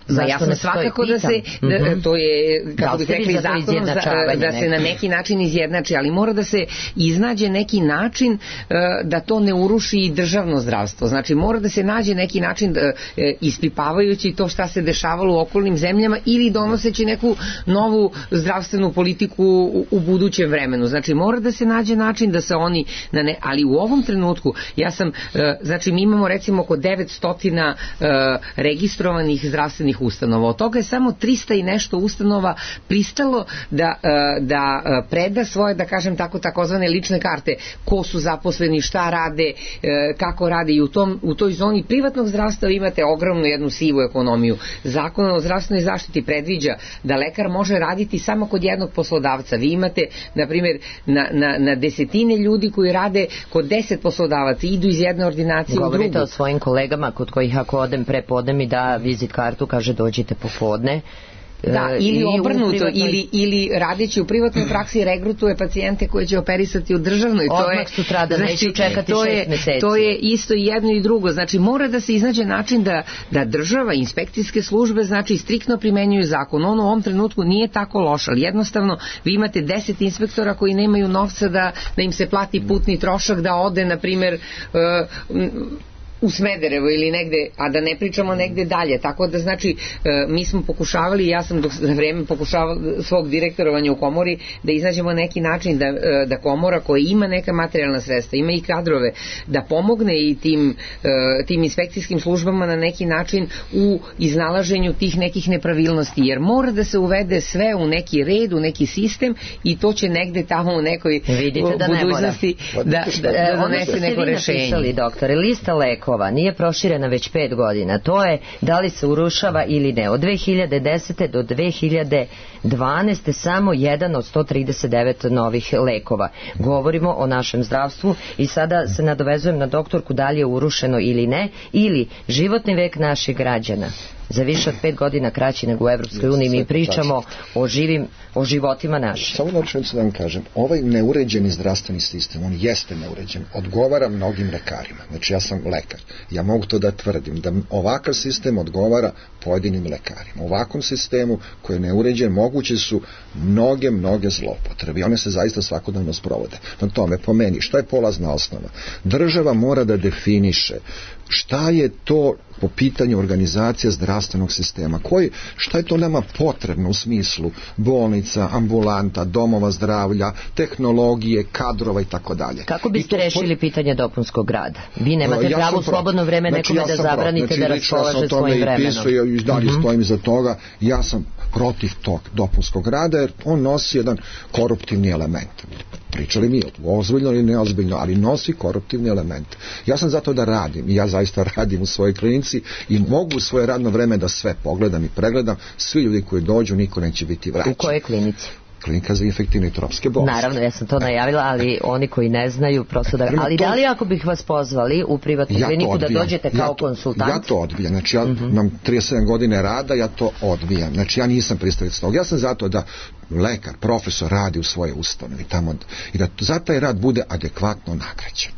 Ma jasno svakako da se, da, mm-hmm. to je, kako bih rekli, zakonom da, da se na neki način izjednači, ali mora da se iznađe neki način uh, da to ne uruši i državno zdravstvo. Znači mora da se nađe neki način uh, ispipavajući to šta se dešavalo u okolnim zemljama ili donoseći neku novu zdravstvenu politiku u, u budućem vremenu. Znači mora da se nađe način da se oni, na ne, ali u ovom trenutku ja sam, uh, znači mi imamo recimo oko devetsto uh, registrovanih zdravstvenih ustanova. Od toga je samo trista i nešto ustanova pristalo da, da preda svoje, da kažem tako, takozvane lične karte, ko su zaposleni, šta rade, kako rade, i u, tom, u toj zoni privatnog zdravstva imate ogromnu jednu sivu ekonomiju. Zakon o zdravstvenoj zaštiti predviđa da lekar može raditi samo kod jednog poslodavca. Vi imate, na primjer, na, na, na desetine ljudi koji rade kod deset poslodavaca, idu iz jedne ordinacije u drugu. Govorite o svojim kolegama kod kojih ako odem prepodne mi da vizit kartu, kaže dođite popodne. Da, ili obrnuto, privatnoj... ili, ili radeći u privatnoj praksi regrutuje pacijente koje će operisati u državnoj. To odmah sutradan, znači, neću čekati to šest je, meseci. To je isto i jedno i drugo. Znači mora da se iznađe način da, da država, inspekcijske službe, znači striktno primenjuju zakon. On u ovom trenutku nije tako loš, ali jednostavno vi imate deset inspektora koji nemaju novca da, da im se plati putni trošak da ode, na primjer, uh, u Smederevo ili negde, a da ne pričamo negde dalje, tako da znači mi smo pokušavali, ja sam dok za vreme pokušavala svog direktorovanja u komori da iznađemo neki način da, da komora koja ima neka materijalna sredstva, ima i kadrove, da pomogne i tim, tim inspekcijskim službama na neki način u iznalaženju tih nekih nepravilnosti, jer mora da se uvede sve u neki red, u neki sistem i to će negde tamo u nekoj da budućnosti da, da, da donese neko rešenje. Napisali, doktore, lista lekova nije proširena već pet godina. To je da li se urušava ili ne. Od dve hiljade desete do dve hiljade dvanaeste samo jedan od sto trideset devet novih lekova. Govorimo o našem zdravstvu i sada se nadovezujem na doktorku da li je urušeno ili ne, ili životni vek naših građana za više od pet godina kraći nego u Evropskoj uniji. Mi pričamo o živim, o životima naših. Samo načinicu da vam kažem, ovaj neuređeni zdravstveni sistem, on jeste neuređen, odgovara mnogim lekarima. Znači ja sam lekar, ja mogu to da tvrdim, da ovakav sistem odgovara pojedinim lekarima. U ovakvom sistemu koji je neuređen moguće su mnoge, mnoge zloupotrebe i one se zaista svakodnevno sprovode. Na tome, po meni, šta je polazna osnova? Država mora da definiše šta je to po pitanju organizacije zdravstvenog sistema, koji, šta je to nama potrebno u smislu bolnica, ambulanta, domova zdravlja, tehnologije, kadrova i tako dalje. Kako biste rešili pitanje dopunskog rada? Vi nemate ja pravo u slobodno vreme znači, nekome ja da zabranite znači, da raspolaže ja svojim vremenom. Znači ja i dalje mm-hmm. stojim iza toga, ja sam protiv tog dopunskog rada jer on nosi jedan koruptivni element. Pričali mi ozbiljno ili neozbiljno, ali nosi koruptivni element. Ja sam zato da radim i ja zaista radim u svojoj klinici i mogu u svoje radno vreme da sve pogledam i pregledam. Svi ljudi koji dođu, niko neće biti vraćan. U kojoj klinici? Klinika za infektivne i tropske bolesti. Naravno, ja sam to najavila, ali oni koji ne znaju, prosto da... Ali to... da li ako bih vas pozvali u privatnu ja kliniku da dođete kao ja to, konsultant? Ja to odbijam. Znači, ja uh-huh. imam trideset sedam godine rada, ja to odbijam. Znači, ja nisam pristalica toga. Ja sam zato da lekar, profesor radi u svoje ustanovi tamo i da za taj rad bude adekvatno nagrađen.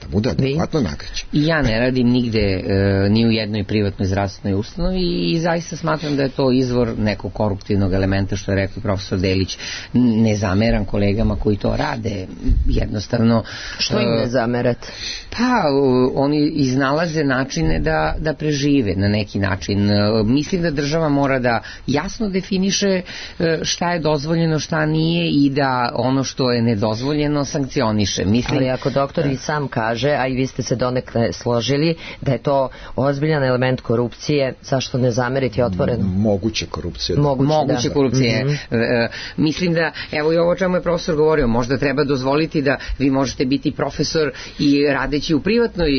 Da bude adekvatno nagrađen. I ja ne radim nigde e, ni u jednoj privatnoj zdravstvenoj ustanovi i zaista smatram da je to izvor nekog koruptivnog elementa, što je rekao profesor Delić. Ne zameram kolegama koji to rade, jednostavno. Što im ne zamerate? Pa, oni iznalaze načine da, da prežive na neki način. Mislim da država mora da jasno definiše šta je dozvoljeno, šta nije i da ono što je nedozvoljeno sankcioniše. Mislim, ali ako doktor i sam kaže, a i vi ste se donekle složili, da je to ozbiljan element korupcije, zašto ne zameriti otvoreno? Moguće korupcije. Moguće, Moguće da. korupcije. Mm-hmm. E, mislim da, evo i ovo čemu je profesor govorio, možda treba dozvoliti da vi možete biti profesor i radeći u privatnoj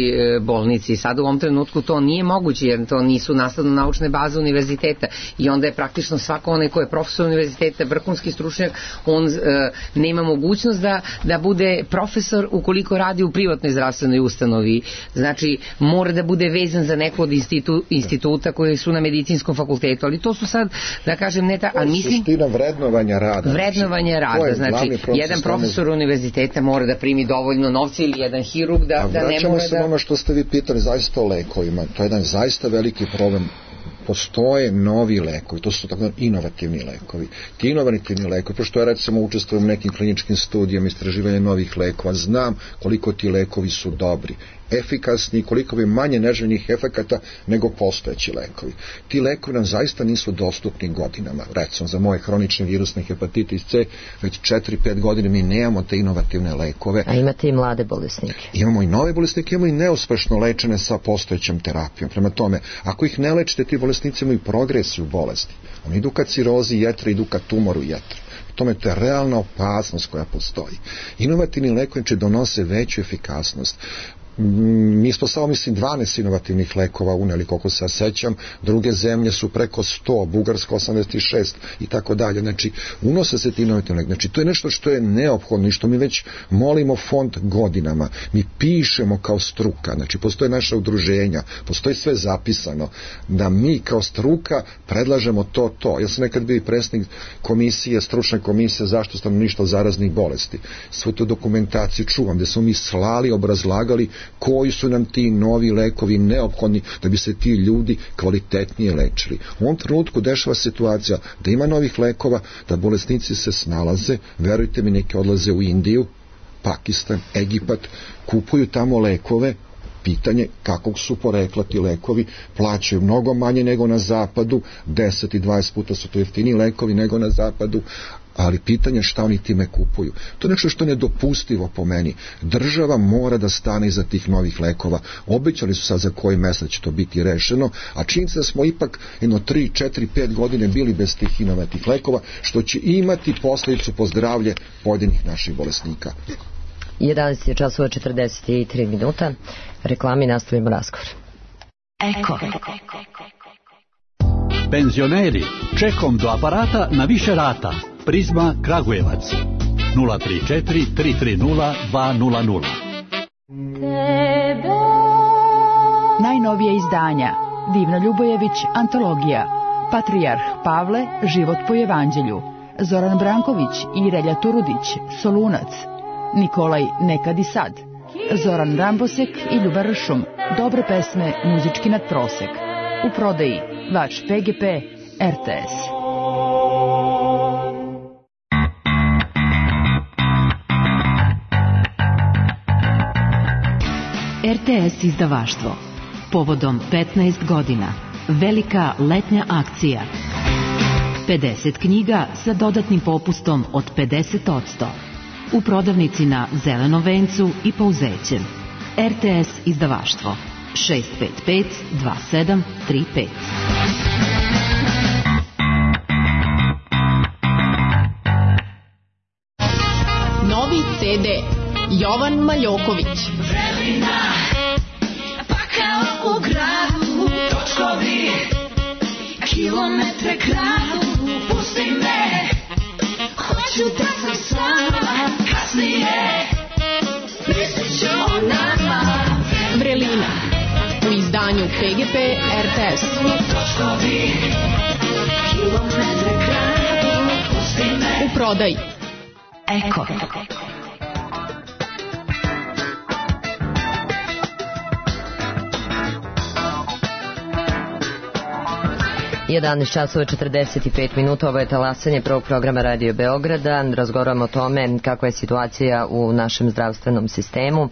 bolnici. Sad u ovom trenutku to nije moguće, jer to nisu nastavno-naučne baze univerziteta i onda je praktično svako onaj ko je profesor univerziteta, vrhunski stručnjak, on e, nema mogućnost da, da bude profesor ukoliko radi u privatnoj zdravstvenoj ustanovi. Znači, mora da bude vezan za neko od institu, instituta koji su na medicinskom fakultetu, ali to su sad, da kažem, ne ta... A mislim, suština vrednovanja rada. Vrednovanja rada, znači, jedan profesor univerziteta mora da primi dovoljno novca ili jedan hirurg da, da ne mora da... ono što ste vi pitali zaista o lekovima, to je jedan zaista veliki problem. Postoje novi lekovi, to su tako inovativni lekovi. Ti inovativni lekovi, pošto ja recimo učestvujem u nekim kliničkim studijama istraživanja novih lekova, znam koliko ti lekovi su dobri, efikasni, koliko bi manje neželjenih efekata nego postojeći lekovi. Ti lekovi nam zaista nisu dostupni godinama. Recimo za moje hronične virusne hepatitis C, već četiri pet godina mi nemamo te inovativne lekove. A imate i mlade bolesnike? Imamo i nove bolesnike, imamo i neuspešno lečene sa postojećom terapijom. Prema tome, ako ih ne lečite, ti bolesnici imaju progresiju bolesti. Oni idu ka cirozi jetre, idu ka tumoru jetre. Tome to je realna opasnost koja postoji. Inovativni lekovi će donose veću efikasnost. Mi smo samo, mislim, dvanaest inovativnih lekova uneli, koliko se sećam, druge zemlje su preko sto, Bugarska osamdeset šest i tako dalje. Znači, unose se ti inovativni lekovi. Znači, to je nešto što je neophodno i što mi već molimo fond godinama. Mi pišemo kao struka, znači, postoje naša udruženja, postoji sve zapisano, da mi kao struka predlažemo to, to. Ja sam nekad bio i predsjednik komisije, stručne komisije zaštitu stanovništva od zaraznih bolesti. Svu tu dokumentaciju čuvam, gde smo mi slali, obrazlagali koji su nam ti novi lekovi neophodni da bi se ti ljudi kvalitetnije lečili. U ovom trenutku dešava situacija da ima novih lekova, da bolesnici se snalaze, verujte mi, neki odlaze u Indiju, Pakistan, Egipat, kupuju tamo lekove pitanje kakvog su porekla ti lekovi, plaćaju mnogo manje nego na zapadu, deset i dvadeset puta su to jeftiniji lekovi nego na zapadu, ali pitanje šta oni time kupuju. To je nešto što je nedopustivo po meni. Država mora da stane iza tih novih lekova. Obećali su sad za koji mesec će to biti rešeno, a činjenica da smo ipak jedno tri, četiri, pet godine bili bez tih inovatnih lekova, što će imati posledicu po zdravlje pojedinih naših bolesnika. jedanaest je časova četrdeset tri minuta. Reklami, nastavimo razgovor. Eko. Penzioneri, čekom do aparata na više rata. Prizma Kragujevac nula tri četiri tri tri nula dva nula nula. Najnovije izdanja Divna Ljubojević, antologija Patrijarh Pavle, život po evanđelju, Zoran Branković i Relja Turudić, Solunac, Nikolaj Nekad i sad, Zoran Rambosek i Ljuba Ršum, dobre pesme, muzički nadprosek. U prodaji Vač P G P, R T S. R T S izdavaštvo. Povodom petnaest godina. Velika letnja akcija. pedeset knjiga sa dodatnim popustom od pedeset posto. U prodavnici na Zelenom vencu i Pouzećem. R T S izdavaštvo. šest pet pet dva sedam tri pet. Novi C D Jovan Maljoković. Vrelina, pa kao u gradu, točkovi, kilometre kradu, pusti me, hoću da sam sama, kasnije, mislit ću o nama. Vrelina, u izdanju P G P R T S. Točkovi, kilometre kradu, pusti me. U prodaji Eko. jedanaest časova četrdeset pet minuta, ovo je talasanje prvog programa Radio Beograda. Razgovaramo o tome kakva je situacija u našem zdravstvenom sistemu,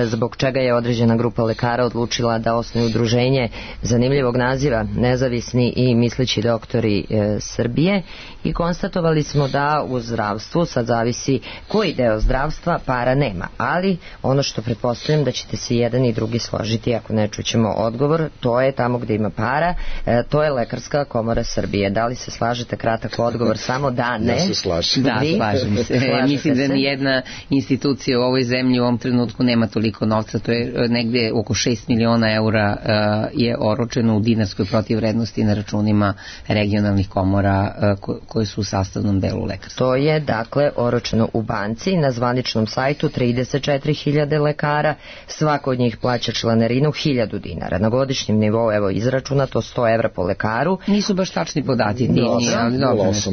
zbog čega je određena grupa lekara odlučila da osnuje udruženje zanimljivog naziva Nezavisni i misleći doktori Srbije, i konstatovali smo da u zdravstvu sad zavisi koji deo zdravstva, para nema, ali ono što pretpostavljam da ćete se jedan i drugi složiti, ako ne čućemo odgovor, to je tamo gde ima para, to je Lekarska komora Srbije. Da li se slažete? Kratak odgovor, samo da, ne. Ja se slažem. Da, slažem se. Mislim da nijedna institucija u ovoj zemlji u ovom trenutku nema toliko novca. To je negde oko šest miliona eura uh, je oročeno u dinarskoj protivvrednosti na računima regionalnih komora uh, koje su u sastavnom delu lekarstva. To je dakle oročeno u banci, na zvaničnom sajtu trideset četiri hiljade lekara, svako od njih plaća članarinu hiljadu dinara. Na godišnjem nivou, evo izračunato, sto evra po lekaru. Nisu baš tačni podaci, nije, nije, ali,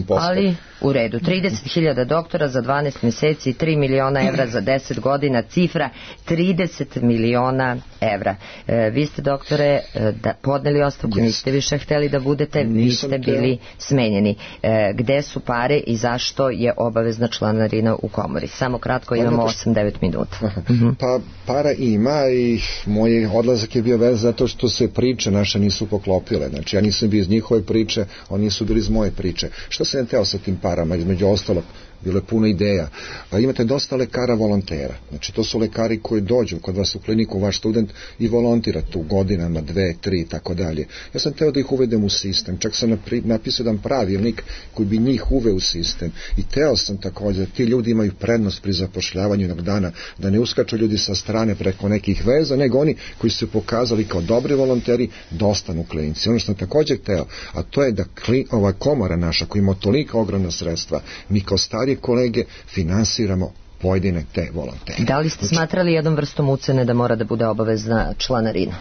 ali u redu, trideset hiljada doktora za dvanaest meseci, tri miliona evra za deset godina, cifra trideset miliona evra. E, vi ste, doktore, da, podneli ostavku, yes. Niste više hteli da budete, Nisam vi ste bili teo. smenjeni. E, gde su pare i zašto je obavezna članarina u komori? Samo kratko, imamo osam devet minuta. Uh-huh. Pa para ima i moj odlazak je bio vezan zato što se priče naše nisu poklopile. Znači ja nisam bio iz njihove priče, oni nisu bili iz moje priče. Što sam teo sa tim parama, između ostalog? Bilo je puno ideja. Pa imate dosta lekara volontera. Znači to su lekari koji dođu kod vas u kliniku, vaš student, i volontira tu godinama, dve, tri i tako dalje. Ja sam teo da ih uvedem u sistem. Čak sam napisao jedan pravilnik koji bi njih uveo u sistem. I teo sam također da ti ljudi imaju prednost pri zapošljavanju jednog dana, da ne uskaču ljudi sa strane preko nekih veza, nego oni koji su se pokazali kao dobri volonteri da ostanu u klinici. Ono što sam također teo, a to je da kli, ova komora naša koja ima tolika ogromna sredstva, mi kao stari kolege finansiramo pojedine te volontere. Da li ste smatrali jednom vrstom ucene da mora da bude obavezna članarina?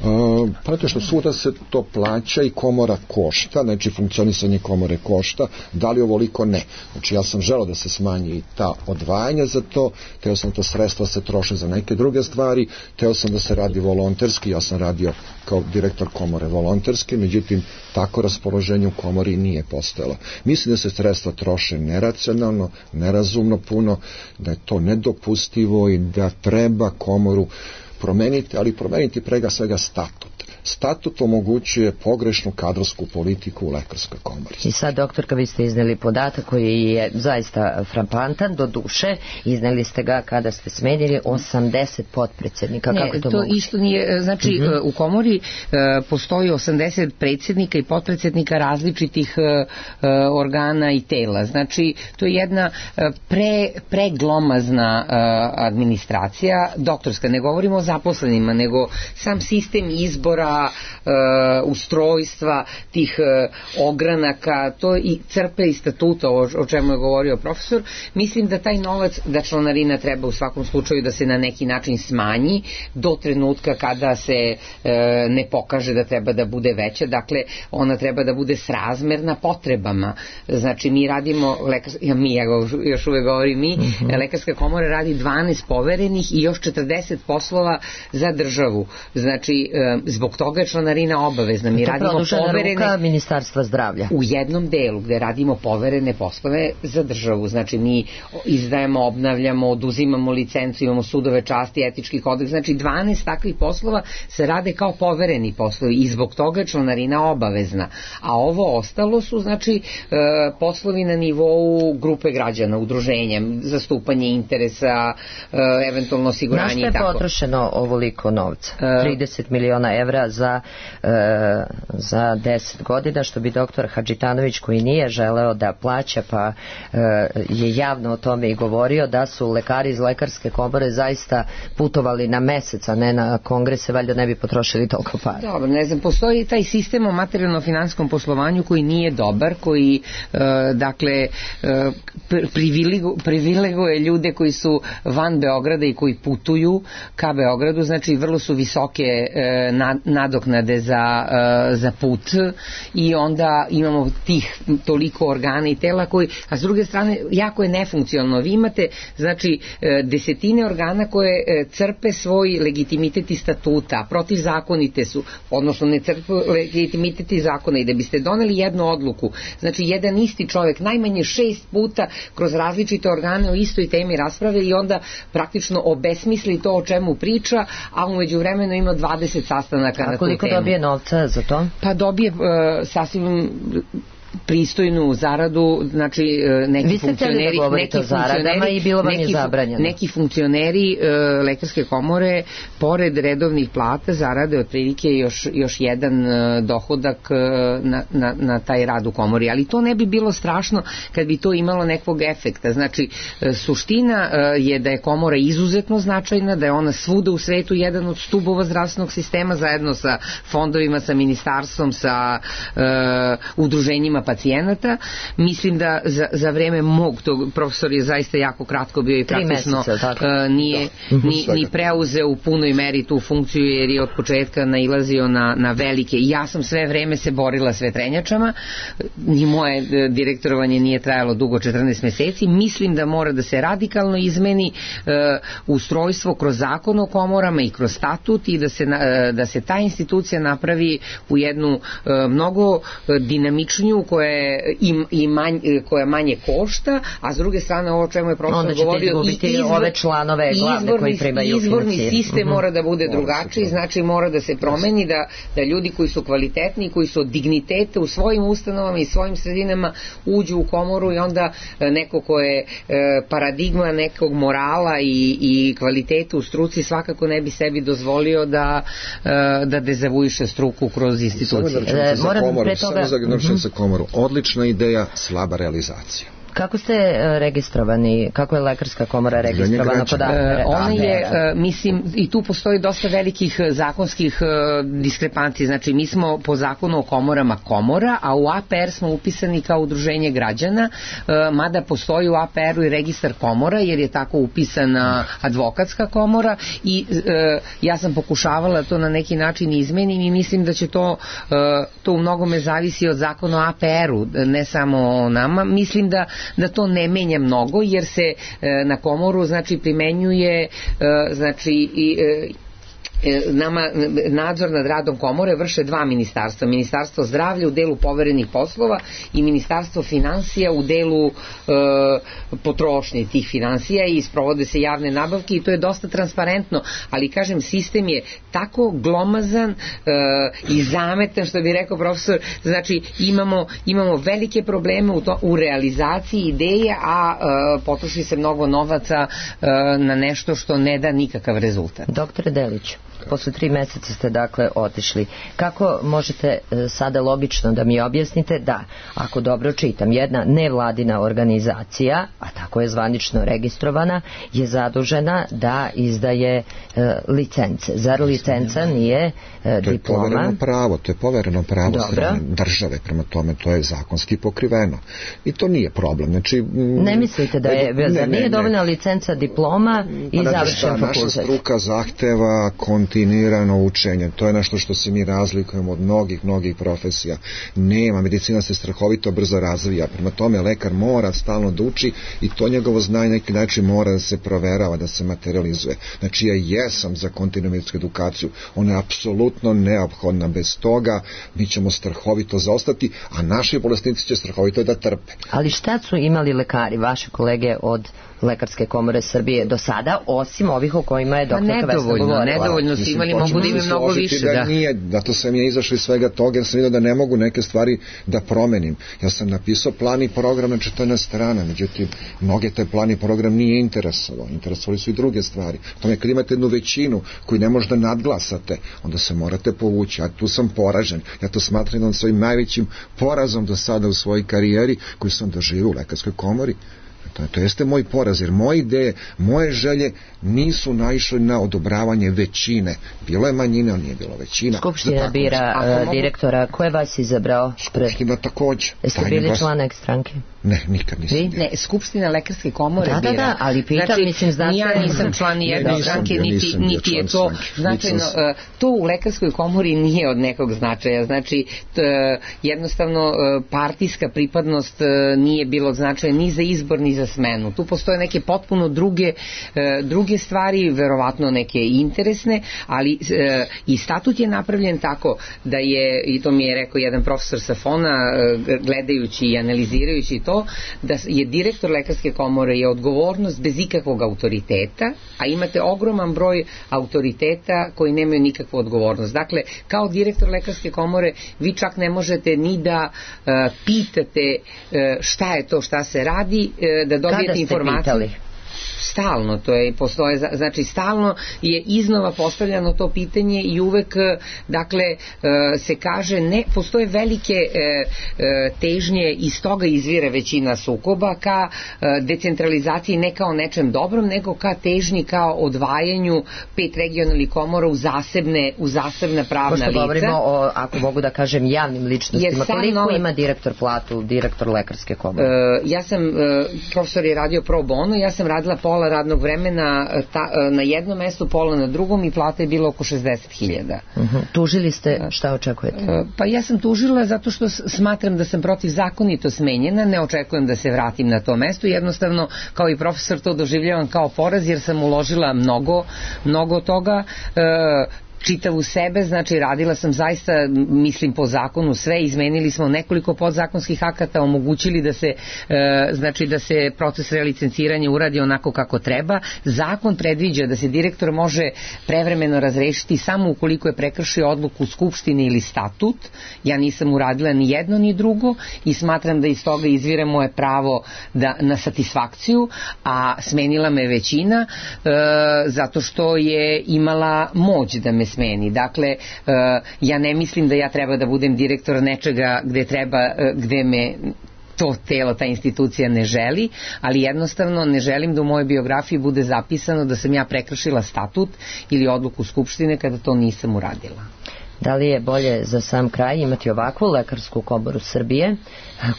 Uh, Prate što svuda se to plaća i komora košta, znači funkcionisanje komore košta, da li ovoliko ne. Znači ja sam želeo da se smanji i ta odvajanja za to, teo sam to sredstva se troše za neke druge stvari, teo sam da se radi volonterski, ja sam radio kao direktor komore volonterski, međutim tako raspoloženje u komori nije postojalo. Mislim da se sredstva troše neracionalno, nerazumno puno, da je to nedopustivo i da treba komoru promeniti, ali promeniti prega svega statut. Statut omogućuje pogrešnu kadrovsku politiku u lekarskoj komori. I sad, doktorka, vi ste izneli podatak koji je zaista fraplantan, do duše, izneli ste ga kada ste smenili osamdeset potpredsjednika. Ne, kako je to, to moguće? isto nije, znači uh-huh. u komori uh, postoji osamdeset predsjednika i potpredsjednika različitih uh, uh, organa i tela. Znači, to je jedna uh, pre, preglomazna uh, administracija, doktorska, ne govorimo o zaposlenima, nego sam sistem izbora, Uh, ustrojstva tih uh, ogranaka, to i crpe iz statuta, o, o čemu je govorio profesor. Mislim da taj novac, da članarina treba u svakom slučaju da se na neki način smanji do trenutka kada se uh, ne pokaže da treba da bude veća, dakle ona treba da bude srazmerna potrebama. Znači mi radimo, lekar, ja, mi, ja još uvek govorim mi, mm-hmm. lekarska komora radi dvanaest poverenih i još četrdeset poslova za državu. Znači uh, zbog toga je članarina obavezna. Mi to radimo poverene ruka Ministarstva zdravlja. U jednom delu gde radimo poverene poslove za državu. Znači mi izdajemo, obnavljamo, oduzimamo licencu, imamo sudove časti, etički kodeks. Znači dvanaest takvih poslova se rade kao povereni poslovi i zbog toga je članarina obavezna. A ovo ostalo su znači poslovi na nivou grupe građana, udruženja, zastupanje interesa, eventualno osiguranje i tako. Na što je potrošeno ovoliko novca? trideset miliona evra za, e, za deset godina, što bi doktor Hadžitanović, koji nije želeo da plaća, pa e, je javno o tome i govorio, da su lekari iz lekarske komore zaista putovali na mesec, a ne na kongrese, valjda ne bi potrošili toliko para. Dobro, ne znam, postoji taj sistem o materijalno-finanskom poslovanju koji nije dobar, koji e, dakle e, privilegu, privileguje ljude koji su van Beograda i koji putuju ka Beogradu, znači vrlo su visoke e, na, nadoknade za, uh, za put i onda imamo tih toliko organa i tela koji, a s druge strane jako je nefunkcionalno. Vi imate znači desetine organa koje crpe svoj legitimitet i statuta, protivzakonite su, odnosno ne crpe legitimitet i zakona i da biste doneli jednu odluku, znači jedan isti čovjek najmanje šest puta kroz različite organe o istoj temi rasprave i onda praktično obesmisli to o čemu priča, a umeđu vremenu ima dvadeset sastanaka na tu temu. A koliko dobije novca za to? Pa dobije uh, sasvim pristojnu zaradu, znači neki funkcioneri, da neki funkcioneri, i bilo vam neki, je zabranjeno. neki funkcioneri uh, lekarske komore pored redovnih plata zarade otprilike još, još jedan uh, dohodak uh, na, na, na taj rad u komori, ali to ne bi bilo strašno kad bi to imalo nekog efekta. Znači uh, suština uh, je da je komora izuzetno značajna, da je ona svuda u svetu jedan od stubova zdravstvenog sistema zajedno sa fondovima, sa ministarstvom, sa uh, udruženjima pacijenata. Mislim da za, za vreme mog tog, profesor je zaista jako kratko bio i praktično meseca, uh, nije da. ni, ni preuzeo u punoj meri tu funkciju jer je od početka nailazio na, na velike i ja sam sve vreme se borila s vetrenjačama, ni moje uh, direktorovanje nije trajalo dugo, četrnaest meseci. Mislim da mora da se radikalno izmeni uh, ustrojstvo kroz zakon o komorama i kroz statut i da se, uh, da se ta institucija napravi u jednu uh, mnogo uh, dinamičniju koja je i, i manj, koja manje košta, a s druge strane ovo čemu je profesor govorio i izvor, ove članove glavne izvorni, koji primaju izvorni financiju. sistem mm-hmm. mora da bude drugačiji, znači mora da se promeni da, da ljudi koji su kvalitetni, koji su od digniteta u svojim ustanovama i svojim sredinama uđu u komoru i onda neko ko je paradigma nekog morala i, i kvaliteta u struci svakako ne bi sebi dozvolio da, da dezavuiše struku kroz institucije. E, moram pre toga... Samo za za komoru. Odlična ideja, slaba realizacija. Kako ste registrovani, kako je lekarska komora registrovana kod A P R? Ona je, mislim, i tu postoji dosta velikih zakonskih diskrepanci, znači mi smo po zakonu o komorama komora, a u A P R smo upisani kao udruženje građana, mada postoji u A P R-u i registar komora, jer je tako upisana advokatska komora i ja sam pokušavala to na neki način izmenim i mislim da će to, to u mnogome zavisi od zakona o A P R-u, ne samo o nama. Mislim da da to ne menja mnogo jer se e, na komoru znači primenjuje e, znači i e, nama nadzor nad radom komore vrše dva ministarstva. Ministarstvo zdravlja u delu poverenih poslova i Ministarstvo finansija u delu e, potrošnje tih finansija i sprovode se javne nabavke i to je dosta transparentno, ali kažem, sistem je tako glomazan e, i zametan, što bi rekao profesor, znači imamo, imamo velike probleme u, to, u realizaciji ideje, a e, potroši se mnogo novaca e, na nešto što ne da nikakav rezultat. Doktore Deliću, posle tri meseca ste dakle otišli. Kako možete e, sada logično da mi objasnite da, ako dobro čitam, jedna nevladina organizacija, a tako je zvanično registrovana, je zadužena da izdaje e, licence. Zar licenca nije e, to diploma? To je povereno pravo, to je povereno pravo strane države, prema tome to je zakonski pokriveno. I to nije problem. Znači, m, ne mislite da je, ne, zar nije ne, dovoljna licenca, diploma i pa, završen fakultet? Naša struka zahteva kontinuirano učenje. To je nešto što se mi razlikujemo od mnogih, mnogih profesija. Nema, medicina se strahovito brzo razvija. Prema tome, lekar mora stalno da uči i to njegovo znanje neki način mora da se proverava, da se materializuje. Znači, ja jesam za kontinuiransku edukaciju. Ona je apsolutno neophodna. Bez toga mi ćemo strahovito zaostati, a naši bolesnici će strahovito da trpe. Ali šta su imali lekari, vaše kolege od Lekarske komore Srbije do sada, osim ovih o kojima je doktorka Vesna govorila? Nedovoljno su imali, mogu da imaju mnogo više. Da, da. Nije, zato sam ja izašao iz svega toga, jer sam vidio da ne mogu neke stvari da promenim. Ja sam napisao plan i program na četrnaest strana, međutim, mnoge taj plan i program nije interesovao. Interesovali su i druge stvari. Tome, kad imate jednu većinu koju ne možda nadglasate, onda se morate povući. Ja tu sam poražen. Ja to smatram da svojim najvećim porazom do sada u svojoj karijeri koju sam doživio u Lekarskoj komori. To, to jeste moj poraz, jer moje ideje, moje želje nisu naišle na odobravanje većine. Bilo je manjina, ali nije bilo većina. Skupština bira uh, direktora. Ko je vas izabrao? Skupština takođe. Jeste bili vas... član neke stranke? Ne, nikad nisam. Vi? Ne, Skupština Lekarske komore da, bira. Da, da, ali pitam, znači, mislim, znate... Ja nisam član ni jedne stranke, ja niti, niti je to značajno. Uh, to u Lekarskoj komori nije od nekog značaja. Znači, t, jednostavno, uh, partijska pripadnost uh, nije bilo značaja ni za izbor, ni za smenu. Tu postoje neke potpuno druge, uh, druge stvari, verovatno neke interesne, ali uh, i statut je napravljen tako da je, i to mi je rekao jedan profesor sa Fona, uh, gledajući i analizirajući to, da je direktor Lekarske komore je odgovornost bez ikakvog autoriteta, a imate ogroman broj autoriteta koji nemaju nikakvu odgovornost. Dakle, kao direktor Lekarske komore vi čak ne možete ni da uh, pitate uh, šta je to, šta se radi, uh, da dobijete informaciju. Kada ste pitali? Stalno, to je, postoje, znači stalno je iznova postavljano to pitanje i uvek, dakle, se kaže, ne, postoje velike težnje, iz toga izvire većina sukoba ka decentralizaciji, ne kao nečem dobrom, nego ka težnji, kao odvajanju pet regionalnih komora u zasebne, u zasebna pravna lica. Pošto govorimo o, ako mogu da kažem, javnim ličnostima, koliko nova... ima direktor platu, direktor Lekarske komore? Uh, ja sam, uh, profesor je radio pro bono, ja sam radila pola radnog vremena ta, na jednom mestu, pola na drugom i plata je bila oko šezdeset hiljada. Uh-huh. Tužili ste, šta očekujete? Uh, pa ja sam tužila zato što smatram da sam protivzakonito smenjena, ne očekujem da se vratim na to mesto, jednostavno kao i profesor to doživljavam kao poraz jer sam uložila mnogo, mnogo toga. Uh, čitavu sebe, znači radila sam zaista, mislim po zakonu sve, izmenili smo nekoliko podzakonskih akata, omogućili da se e, znači da se proces relicenciranja uradi onako kako treba. Zakon predviđa da se direktor može prevremeno razrešiti samo ukoliko je prekršio odluku Skupštine ili statut. Ja nisam uradila ni jedno ni drugo i smatram da iz toga izvire moje pravo da, na satisfakciju, a smenila me većina e, zato što je imala moć da me smeni. Dakle, uh, ja ne mislim da ja treba da budem direktor nečega gde treba, uh, gde me to telo, ta institucija ne želi, ali jednostavno ne želim da u mojoj biografiji bude zapisano da sam ja prekršila statut ili odluku Skupštine kada to nisam uradila. Da li je bolje za sam kraj imati ovakvu Lekarsku komoru Srbije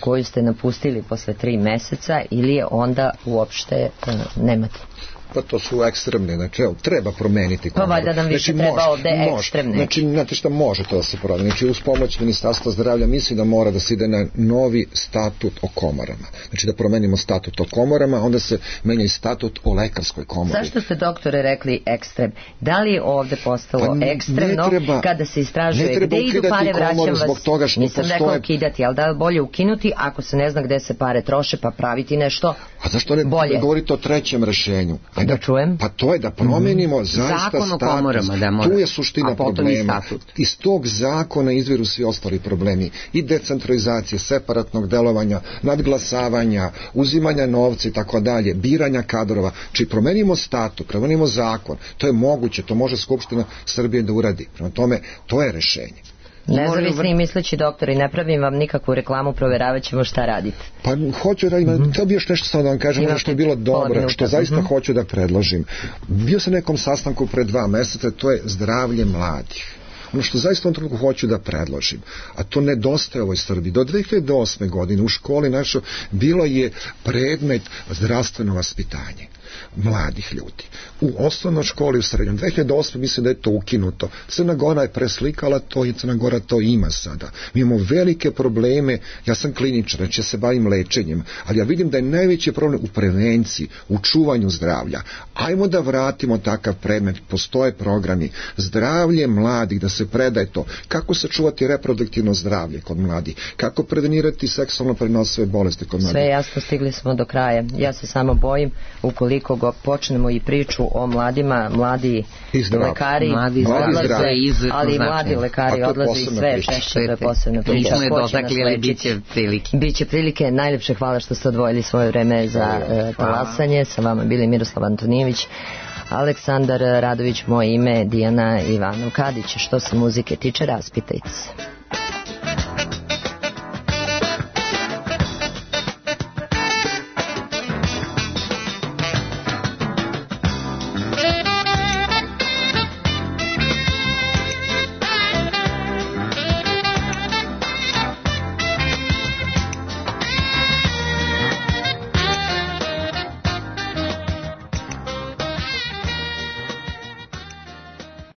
koju ste napustili posle tri meseca ili je onda uopšte uh, nemate? Pa to su ekstremne, znači evo, treba promeniti komoru. Pa valjda nam više znači, treba ovde može, ekstremne. Znači, znate šta može to da se promeni? Znači, uz pomoć Ministarstva zdravlja mislim da mora da se ide na novi statut o komorama. Znači da promenimo statut o komorama, onda se menja i statut o lekarskoj komori. Zašto ste, doktore, rekli ekstrem? Da li je ovde postalo pa ekstremno treba, kada se istražuje gde idu pare, vraćam vas, toga što nisam postoje... rekao ukidati, ali da je bolje ukinuti ako se ne zna gde se pare troše, pa praviti nešto A zašto ne bolje? govorite o trećem rešenju? Ajde, da čujem. Pa to je da promenimo mm-hmm. zaista Zakon status. o komorama, da mora. Tu je suština problema. Iz tog zakona izviru svi ostali problemi. I decentralizacije, separatnog delovanja, nadglasavanja, uzimanja novca i tako dalje, biranja kadrova. Či promenimo statut, promenimo zakon. To je moguće, to može Skupština Srbije da uradi. Prema tome, to je rešenje. Nezavisni i misleći doktori, ne pravim vam nikakvu reklamu, provjeravat ćemo šta radite. Pa hoću da imam, mm-hmm. to bi još nešto samo da vam kažem, ono što je bilo dobro, što zaista mm-hmm. hoću da predložim. Bio sam na nekom sastanku pre dva meseca, to je zdravlje mladih. Ono što zaista u ovom trenutku hoću da predložim, a to nedostaje ovoj Srbiji. Do dve hiljade osme. godine u školi našo bilo je predmet zdravstveno vaspitanje mladih ljudi. U osnovnoj školi, u srednjom. dve hiljade osme. mislim da je to ukinuto. Crna Gora je preslikala to i Crna Gora to ima sada. Mi imamo velike probleme, ja sam kliničar, znači ja se bavim lečenjem, ali ja vidim da je najveći problem u prevenciji, u čuvanju zdravlja. Ajmo da vratimo takav predmet, postoje programi. Zdravlje mladih, da se predaje to. Kako sačuvati reproduktivno zdravlje kod mladih? Kako prevenirati seksualno prenosive bolesti kod mladih? Sve jasno, stigli smo do kraja. Ja se samo bojim, ukoliko go počnemo i priču o mladima, mladi lekari mladi odlaze, iz, ali mladi lekari odlaze i sve češće, to je posebna priča. Biće prilike. Biće prilike. Najljepše hvala što ste odvojili svoje vreme za uh, talasanje. Sa vama bili Miroslav Antonijević, Aleksandar Radović, moje ime, Dijana Ivanov Kadić. Što se muzike tiče, raspitajte se.